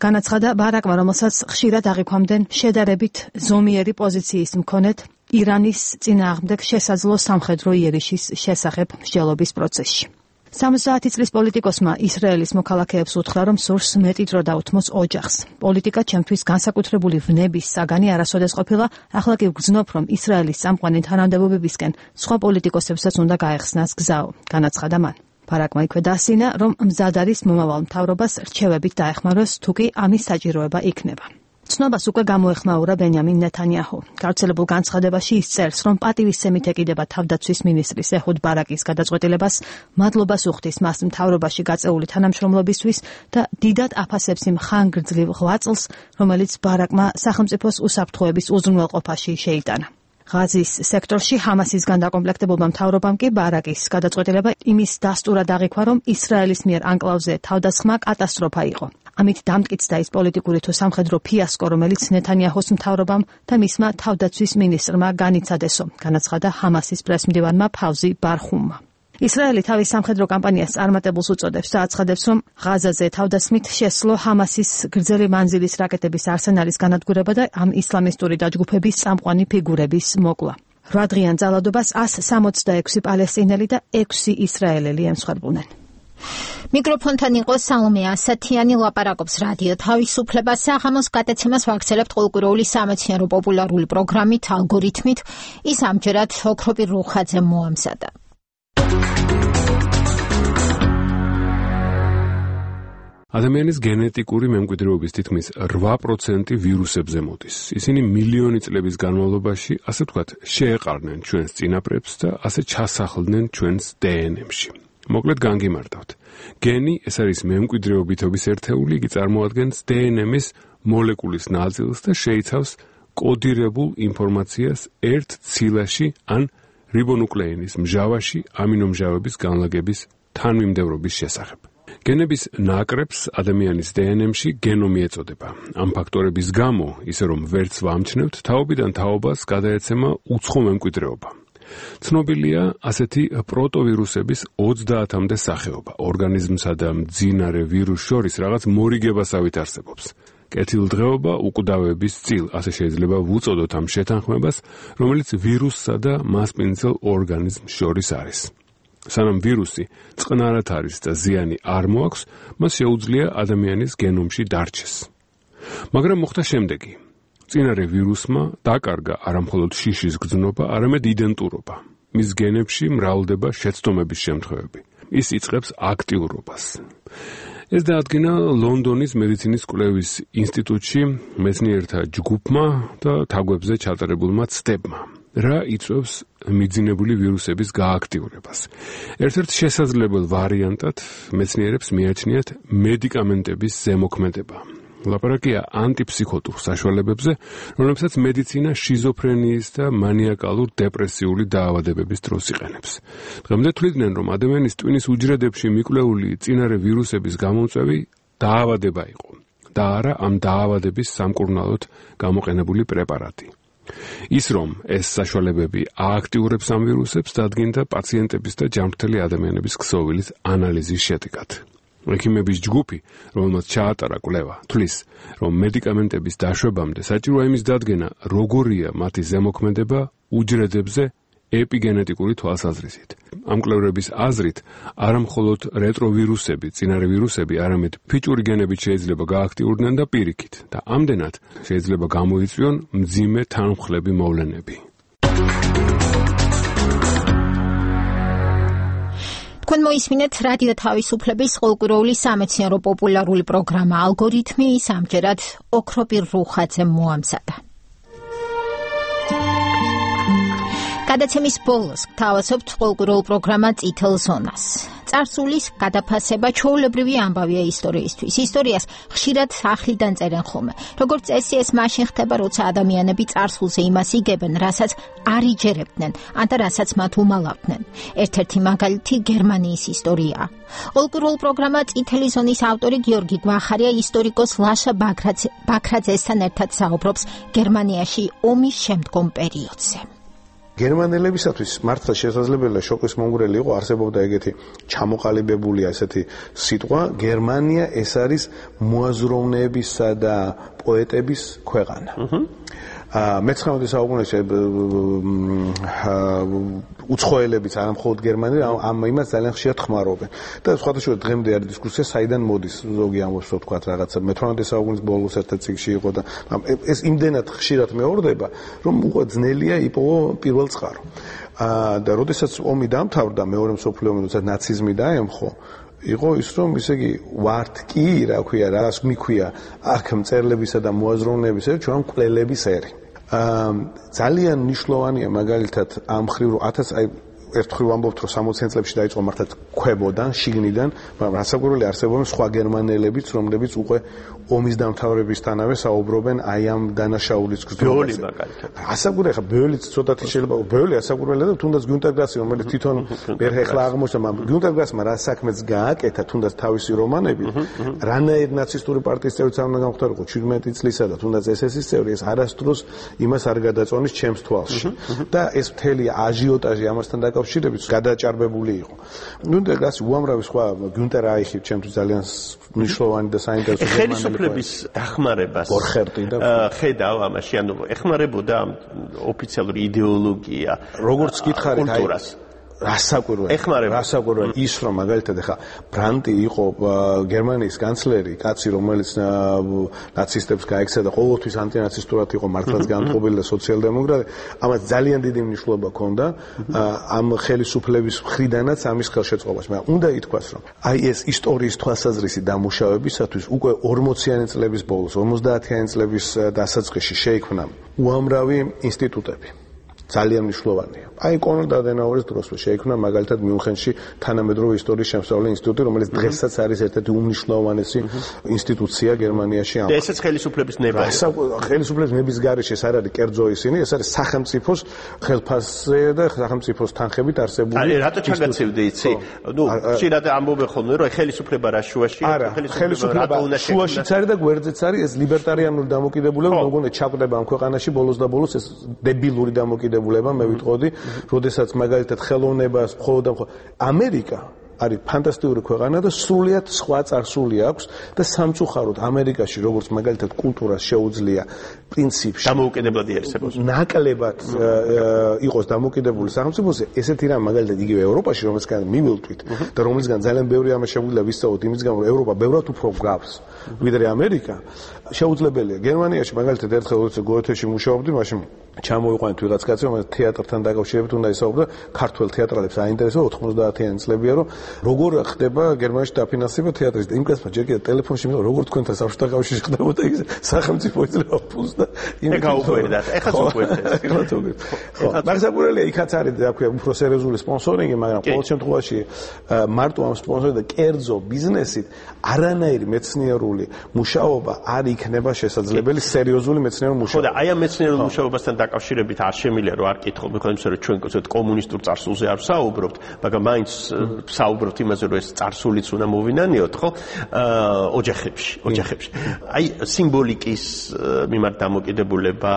განაცხადა ბარაკმა, რომელსაც ხშირად აღიქვამდნენ შედარებით ზომიერი პოზიციის მქონედ ირანის წინააღმდეგ შესაძლო სამხედრო იერიშის შესახებ მსჯელობის პროცესში. სამოცდაათი წლის პოლიტიკოსმა ისრაელის მოქალაქეებს უთხრა, რომ სურს მეტი დრო დაუთმოს ოჯახს. პოლიტიკა ჩემთვის განსაკუთრებული ვნების საგანი არასოდეს ყოფილა, ახლა კი ვგრძნობ, რომ ისრაელის წამყვანი თანამდებობებისკენ სხვა პოლიტიკოსებსაც უნდა გაეხსნას გზაო, განაცხადა მან. ბარაკმა იქვე დასინა, რომ მზად არის მომავალ მთავრობას რჩევებით დაეხმაროს, თუ კი ამის საჭიროება იქნება. ცნობას უკვე გამოეხმაურა ბენიამინ ნეთანიაჰუ. გავრცელებულ განცხადებაში ის წერს, რომ პატივისცემით ეკიდება თავდაცვის მინისტრის ეჰუდ ბარაკის გადაწყვეტილებას, მადლობას უხდის მას მთავრობაში გაწეული თანამშრომლობისთვის და დიდად აფასებს იმ ხანგრძლივ ღვაწლს, რომელიც ბარაკმა სახელმწიფოს უსაფრთხოების უზრუნველყოფაში შეიტანა. ღაზის სექტორში ჰამასისგან დაკომპლექტებულმა მთავრობამ კი ბარაკის გადაწყვეტილება იმის დასტურად აღიქვა, რომ ისრაელის მიერ ანკლავზე თავდასხმა კატასტროფა იყო. ამით დამტკიცდა ის პოლიტიკური თუ სამხედრო ფიასკო, რომელიც ნეთანიაჰუს მთავრობამ და მისმა თავდაცვის მინისტრმა განიცადესო, განაცხადა ჰამასის პრესმდივანმა ფავზი ბარხუმმა. ისრაელი თავის სამხედრო კამპანიას წარმატებულს უწოდებს და აცხადებს, რომ ღაზაზე თავდასხმით შესძლო ჰამასის გრძელი მანძილის რაკეტების არსენალის განადგურება და ამ ისლამისტური დაჯგუფების წამყვანი ფიგურების მოკლა. რვა დღიან ძალადობას εκατს სამოცდაექვსი პალესტინელი და ექვსი ისრაელელი ემსხვერპლნენ. მიკროფონთან იყო სალომე ასათიანი, ლაპარაკობს რადიო თავისუფლება. საღამოს გადაცემას ვაგრძელებთ ყოველკვირეული სამეცნიერო პოპულარული პროგრამით ალგორითმით. ის ამჯერად ოქროპირ რუხაძე მოამზადა. ადამიანის გენეტიკური მემკვიდრეობის თითქმის რვა პროცენტი ვირუსებზე მოდის. ისინი მილიონი წლების განმავლობაში, ასე ვთქვათ, შეეყარნენ ჩვენს წინაპრებს და ასე ჩასახლდნენ ჩვენს დე ენ ემში. მოკლედ განგიმართავთ. გენი ეს არის მემკვიდრეობითობის ერთეული, იგი წარმოადგენს დე ენ ემის მოლეკულის ნაწილს და შეიცავს კოდირებულ ინფორმაციას ერთ ცილაში ან რიბონუკლეინის მჟავაში ამინომჟავების განლაგების თანმიმდევრობის შესახებ. გენების ნაკრებს ადამიანის დე ენ ემში გენომი ეწოდება. ამ ფაქტორების გამო, ისე რომ ვერც ვამჩნევთ, თაობიდან თაობას გადაეცემა უცხო მემკვიდრეობა. ცნობილია ასეთი პროტოვირუსების ოცდაათამდე სახეობა. ორგანიზმსა და მძინარე ვირუსს შორის რაღაც მორიგებასავით არსებობს. კეთილდღეობა უკვდავების წილ, ასე შეიძლება ვუწოდოთ ამ შეთანხმებას, რომელიც ვირუსსა და მასპინძელ ორგანიზმს შორის არის. სანამ ვირუსი წყნარად არის და ზიანი არ მოაქვს, მას შეუძლია ადამიანის გენომში დარჩეს. მაგრამ მოხდა შემდეგი. წინარე ვირუსმა დაკარგა არამხოლოდ შიშის გრძნობა, არამედ იდენტურობა. მის გენებში მრავლდება შეცდომების შემთხვევები. ის იწყებს აქტიურობას. ეს დაადგინა ლონდონის მედიცინის კვლევის ინსტიტუტში მეცნიერთა ჯგუფმა და თაგვებზე ჩატარებულმა ცდებმა. რა იწვევს მიძინებული ვირუსების გააქტიურებას? ერთ-ერთ შესაძლებელ ვარიანტად მეცნიერებს მიაჩნიათ მედიკამენტების ზემოქმედება. ლაპარაკია ანტიფსიქოტურ საშუალებებზე, რომლებსაც მედიცინა შიზოფრენიის და მანიაკალურ დეპრესიული დაავადებების დროს იყენებს. დღემდე თვლიდნენ, რომ ადამიანის ტვინის უჯრედებში მიკვლეული წინარე ვირუსების გამომწვევი დაავადება იყო და არა ამ დაავადების სამკურნალოდ გამოყენებული პრეპარატი. ის რომ ეს საშუალებები ააქტიურებს ამ ვირუსებს, დადგინდა პაციენტების და ჯანმრთელი ადამიანების ქსოვილის ანალიზის შედეგად. ექიმების ჯგუფი, რომელმაც ჩაატარა კვლევა, თვლის, რომ მედიკამენტების დაშვებამდე საჭიროა იმის დადგენა, როგორია მათი ზემოქმედება უჯრედებზე ეპიგენეტიკური თვალსაზრისით. ამ კვლევრების აზრით, არამხოლოდ რეტროვირუსები, წინარე ვირუსები, არამედ ფიჭური გენებით შეიძლება გააქტიურდნენ და პირიქით და ამდენად შეიძლება გამოიწვიონ მძიმე თანმხლები მოვლენები. თქვენ მოისმინეთ რადიო თავისუფლების ყოველკვირეული სამეცნიერო პოპულარული პროგრამა ალგორითმი, ის ამჯერად ოქროპირ რუხაძემ მოამზადა. გადაცემის ბოლოს გთავაზობთ ყოველკვირეულ პროგრამა წითელ ზონას. წარსულის გადაფასება ჩვეულებრივი ამბავია ისტორიისთვის. ისტორიას ხშირად ახლიდან წერენ ხოლმე. როგორც წესი, ეს მაშინ ხდება, როცა ადამიანები წარსულზე იმას იგებენ, რასაც არ იჯერებდნენ, ან და რასაც მათ უმალავდნენ. ერთ-ერთი მაგალითი გერმანიის ისტორიაა. ყოველკვირეულ პროგრამა წითელი ზონის ავტორი გიორგი გვახარია ისტორიკოს ლაშა ბაქრაძესთან ერთად საუბრობს გერმანიაში ომის შემდგომ პერიოდზე. გერმანელებისათვის მართლა შესაძლებელია შოკის მომგვრელი იყო, არსებობდა ეგეთი ჩამოყალიბებული ასეთი სიტყვა, გერმანია ეს არის მოაზროვნეებისა და პოეტების ქვეყანა. მეცხრამეტე საუკუნეში უცხოელებიც არა მხოლოდ გერმანელი ამ იმას ძალიან ხშირად ხმარობენ და სხვადასხვა დღემდე არის დისკუსია საიდან მოდის ზოგი ამბობს რომ თქვა რაღაცა მეთვრამეტე საუკუნის ბოლოს ერთ წიგში იყო და ეს იმდენად ხშირად მეორდება რომ უკვე ძნელია იპოვო პირველ წყარო და როდესაც ომი დამთავრდა მეორე მსოფლიო ომი როცა ნაციზმი დაემხო იყო ის რომ ისე იგი ვართ კი რა ქვია რას მიქვია აქ მწერლებისა და მოაზროვნეების ერი ჩვენ მკვლელების ერი ძალიან მნიშვნელოვანია მაგალითად ამ ხრივ რომ ათას აი ერთხელ ვამბობთ რომ სამოციან წლებში დაიწყო მართლა ქვებოდან შიგნიდან მაგრამ რასაკვირველია არსებობენ სხვა გერმანელებიც რომლებიც უკვე ომის დამთავრებისთანავე საუბრობენ აი ამ დანაშაულის გზაზე. ბეოლი მაგალითად. რასაკვირველია ხა ბეოლიც ცოტათი შეიძლება ბეოლი ასაკვირველია და თუნდაც გიუნტერ გრასი რომელიც თვითონ ვერ ეხლა აღმოჩნდა მაგრამ გიუნტერ გრასმა რა საქმეც გააკეთა თუნდაც თავისი რომანები რანაირ ნაცისტური პარტიის წევრიც არ უნდა გამختارიყო შვიდმეტი წლისა და თუნდაც ეს ეს წევრი ეს არასდროს იმას არ გადაწონის ჩემს თვალში და ეს მთელი აჟიოტაჟი ამასთან დაკავშირებით გადაჭარბებული იყო. გიუნტერ გრასი უამრავი სხვა გიუნტერ აიხი ჩემთვის ძალიან მნიშვნელოვანი და საინტერესო ხელისუფლების დახმარებას ხედავ ამაში, ანუ ეხმარებოდა ოფიციალური იდეოლოგია, როგორც გითხარით, კულტურას. რასაკვირველია. ეხმარება. რასაკვირველია ის რომ მაგალითად ახლა ბრანტი იყო გერმანიის კანცლერი, კაცი რომელიც ნაცისტებს გაექცა და ყოველთვის ანტინაცისტურად იყო მართლაც განწყობილი და სოციალ-დემოკრატი, ამას ძალიან დიდი მნიშვნელობა ჰქონდა ამ ხელისუფლების მხრიდანაც ამის ხელშეწყობაში. მაგრამ უნდა ითქვას რომ აი ეს ისტორიის თვალსაზრისით დამუშავებისათვის უკვე ორმოციანი წლების ბოლოს, ორმოცდაათიანი წლების დასაწყისში შეიქმნა უამრავი ინსტიტუტები. ძალიან მნიშვნელოვანია. აი კონრად ადენაუერის დროსვე შეიქმნა მაგალითად მიუნხენში თანამედროვე ისტორიის შემსწავლელი ინსტიტუტი, რომელიც დღესაც არის ერთ-ერთი უმნიშვნელოვანესი ინსტიტუცია გერმანიაში. და ესეც ხელისუფლების ნება. ხელისუფლების ნების გარეშე ეს არ არის კერძო ისინი, ეს არის სახელმწიფოს ხელფასზე და სახელმწიფოს თანხებით არსებული. აი რატო ჩაგაცევდი იცი? ნუ ხშირად ამბობენ ხოლმე რომ ხელისუფლება რა შუაში, ხელისუფლება შუაშიც არის და გვერდზეც არის ეს ლიბერტარიანული დამოკიდებულება, მოგონე ჩაკვდება ამ ქვეყანაში ბოლოს და ბოლოს ეს დებილური დამოკიდებულება მე ვიტყოდი, როდესაც მაგალითად ხელოვნებას მხოლოდ და ამერიკა არის ფანტასტიკური ქვეყანა და სრულიად სხვა წარსული აქვს და სამწუხაროდ ამერიკაში როგორც მაგალითად კულტურას შეუძლია პრინციპში დამოუკიდებლად იარსებოს. ნაკლებად იყოს დამოკიდებული სახელმწიფოზე, ესეთი რამ მაგალითად იგივე ევროპაში რომელსგან მივილთვით და რომელსგან ძალიან ბევრი ამას შეგვიძლია ვისწავლოთ იმის გამო რომ ევროპა ბევრად უფრო გავს ვიდრე ამერიკა. შეუძლებელია გერმანიაში მაგალითად ერთხელ როცა გოეთეში მუშაობდი, მაშინ ჩამოვიყვანეთ ვიღაც კაცი, რომელიც თეატრთან დაკავშირებით უნდა ისაუბრა, ქართულ თეატრალებს აინტერესებდა ოთხმოცდაათიანი წლებია, რომ როგორ ხდება გერმანიაში დაფინანსება თეატრის და იმ კაცმა ჯერ კიდევ ტელეფონში მითხრა, როგორ თქვენთან საბჭოთა კავშირში ხდებოდა ის სახელმწიფო იძლევა ფულს და იმ გაუკვირდა. ეხლა უკვირდეს. ეხლა თუგეთ. ხო, მაგასაკურელია იქაც არის და აქვე უფრო სერიოზული სპონსორინგი, მაგრამ ყოველ შემთხვევაში მარტო ამ სპონსორინგი და კერძო ბიზნესით არანაირი მეცნიერული მუშაობა არ იქნება შესაძლებელი სერიოზული მეცნიერული მუშაობა. ხო და აი ამ მეცნიერულ მუშაობასთან დაკავშირებით არ შემიძლია რომ არ კითხო, მეკონა იმისა რომ ჩვენ კოცეთ კომუნისტურ წარსულზე არ საუბრობთ, მაგრამ მაინც საუბრობთ იმაზე რომ ეს წარსულიც უნდა მოვინანიოთ, ხო? ოჯახებში, ოჯახებში. აი სიმბოლიკის მიმართ დამოკიდებულება,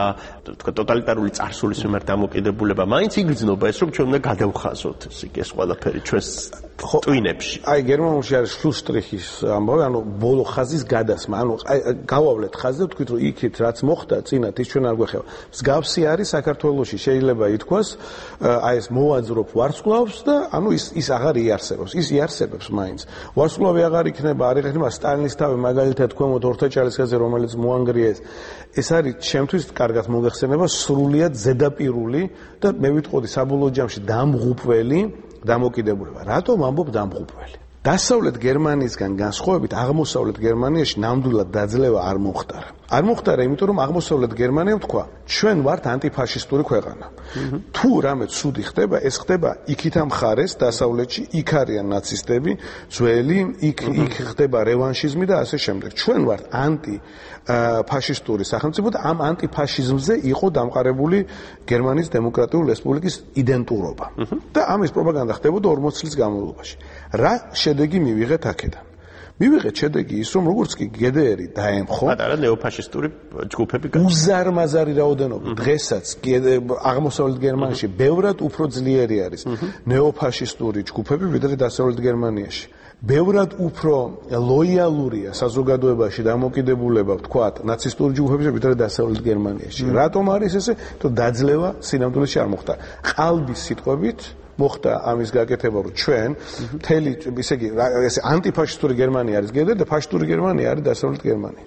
თქვა ტოტალიტარული წარსულის მიმართ დამოკიდებულება, მაინც იგრძნობა ეს რომ ჩვენ უნდა გადავხაზოთ ეს ყველაფერი ჩვენს ტვინებში. აი გერმანულში არის შლუსტრიხის ამბავი, ანუ ბოლო ხაზის გადასმა, ანუ აი გავავლეთ ხაზზე, ვთქვით რომ იქით რაც მოხდა წინათ ის ჩვენ არ გვეხება. მსგავსი არის საქართველოში შეიძლება ითქვას, აი ეს მოვაძრობ ვარსკვლავს და ანუ ის ის აღარ იარსებობს, ის იარსებებს მაინც. ვარსკვლავი აღარ იქნება, არ იქნება სტალინის თავი მაგალითად თქვენოთ ორთაჭალისკაზე რომელიც მოანგრიეს. ეს არის ჩემთვის კარგად მოგეხსენება სრულიად ზედაპირული და მე ვიტყოდი საბოლოო ჯამში დამღუპველი დამოკიდებულება. რატომ ამბობ დამღუპველი? დასავლეთ გერმანიისგან განსხვავებით აღმოსავლეთ გერმანიაში ნამდვილად დაძლევა არ მოხდარა. არ მოხდარა, იმიტომ რომ აღმოსავლეთ გერმანიამ თქვა, ჩვენ ვართ ანტიფაშისტური ქვეყანა. თუ რამე ცუდი ხდება, ეს ხდება იქით ამ ხარეს დასავლეთში, იქ არიან ნაცისტები, ძველი, იქ იქ ხდება რევანშიზმი და ასე შემდეგ. ჩვენ ვართ ანტი ფაშისტური სახელმწიფო და ამ ანტიფაშიზმზე იყო დამყარებული გერმანიის დემოკრატიული რესპუბლიკის იდენტურობა. და ამის პროპაგანდა ხდებოდა ორმოც წლის განმავლობაში. რა შედეგი მივიღეთ აქედან? მივიღეთ შედეგი ის, რომ როგორც კი ჯი დი არი დაემხო, პატარა ნეოფაშისტური ჯგუფები გაჩნდა. უზარმაზარი რაოდენობა დღესაც აღმოსავლეთ გერმანიაში ბევრად უფრო ძლიერი არის ნეოფაშისტური ჯგუფები, ვიდრე დასავლეთ გერმანიაში. ბევრად უფრო ლოიალურია საზოგადოებაში დამოკიდებულება, ვთქვათ, ნაცისტური ჯგუფების, ვიდრე დასავლეთ გერმანიაში. რატომ არის ესე? თუ დაძლევა სინამდვილეში არ მოხდა. ყალბის სიტყვებით მოხდა ამის გაკეთება, რომ ჩვენ მთელი, ისე იგი, ესე ანტიფაშისტური გერმანია არის ჯი დი არი და ფაშისტური გერმანია არის დასავლეთ გერმანია.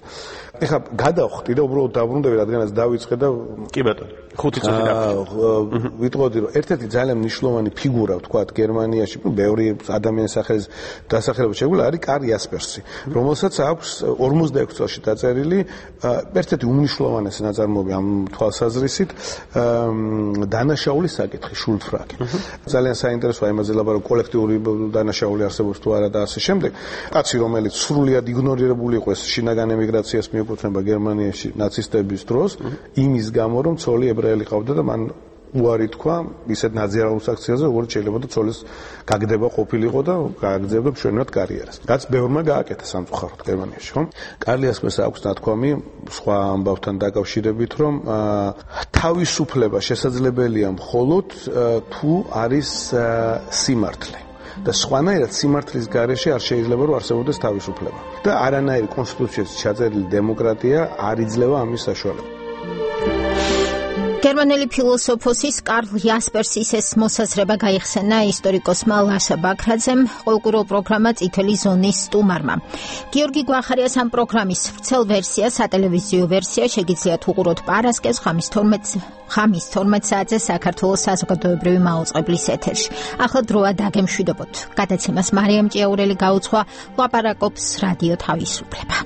ეხლა გადავხდი და უბრალოდ დაბრუნდები, რადგანაც დავიწყე და კი ბატონო, ხუთი წუთი დავიწყე. ვიტყოდი, რომ ერთ-ერთი ძალიან მნიშვნელოვანი ფიგურა, ვთქვათ, გერმანიაში, ბევრი ადამიანის სახელის დასახელება შეგვიძლია, არის კარლ იასპერსი, რომელსაც აქვს ორმოცდაექვსი წელში დაწერილი ერთ-ერთი უმნიშვნელოვანესი ნაწარმოები ამ თვალსაზრისით, დანაშაულის საკითხი, შულდფრაგე. ძალიან საინტერესოა იმაზე ლაპარაკი, კოლექტიური დანაშაული არსებობს თუ არა და ასე შემდეგ. კაცი, რომელიც სრულიად იგნორირებული იყო ეს შინაგან ემიგრაციას მიეკუთვნება გერმანიაში ნაცისტების დროს, იმის გამო რომ ცოლი ებრაელი ყავდა და მან უარი თქვა ისეთ ნაზიარულ აქციაზე, როგორც შეიძლება და ცოლის გაგდება ყოფილიყო და გააგრძელებდა მშვენივრად კარიერას. რაც ბევრმა გააკეთა სამწუხაროდ გერმანიაში, ხო? კარლ იასპერსს აქვს ნათქვამი სხვა ამბავთან დაკავშირებით, რომ თავისუფლება შესაძლებელია მხოლოდ თუ არის სიმართლე. და სხვანაირად სიმართლის გარეშე არ შეიძლება რომ არსებობდეს თავისუფლება. და არანაირი კონსტიტუციაში ჩაწერილი დემოკრატია არ იძლევა ამის საშუალებას. გერმანელი ფილოსოფოსის კარლ იასპერსის ეს მოსაზრება გაიხსენა ისტორიკოსმა ლაშა ბაქრაძემ ყოველკვირეულ პროგრამა წითელი ზონის სტუმარმა. გიორგი გვახარიას ამ პროგრამის ვრცელ ვერსია, სატელევიზიო ვერსია შეგიძლიათ უყუროთ პარასკევს ხამის თორმეტ საათზე საქართველოს საზოგადოებრივი მაუწყებლის ეთერში. ახლა დროა დაგემშვიდობოთ. გადაცემას მარიამ ჭიაურელი გაუძღვა, ლაპარაკობს რადიო თავისუფლება.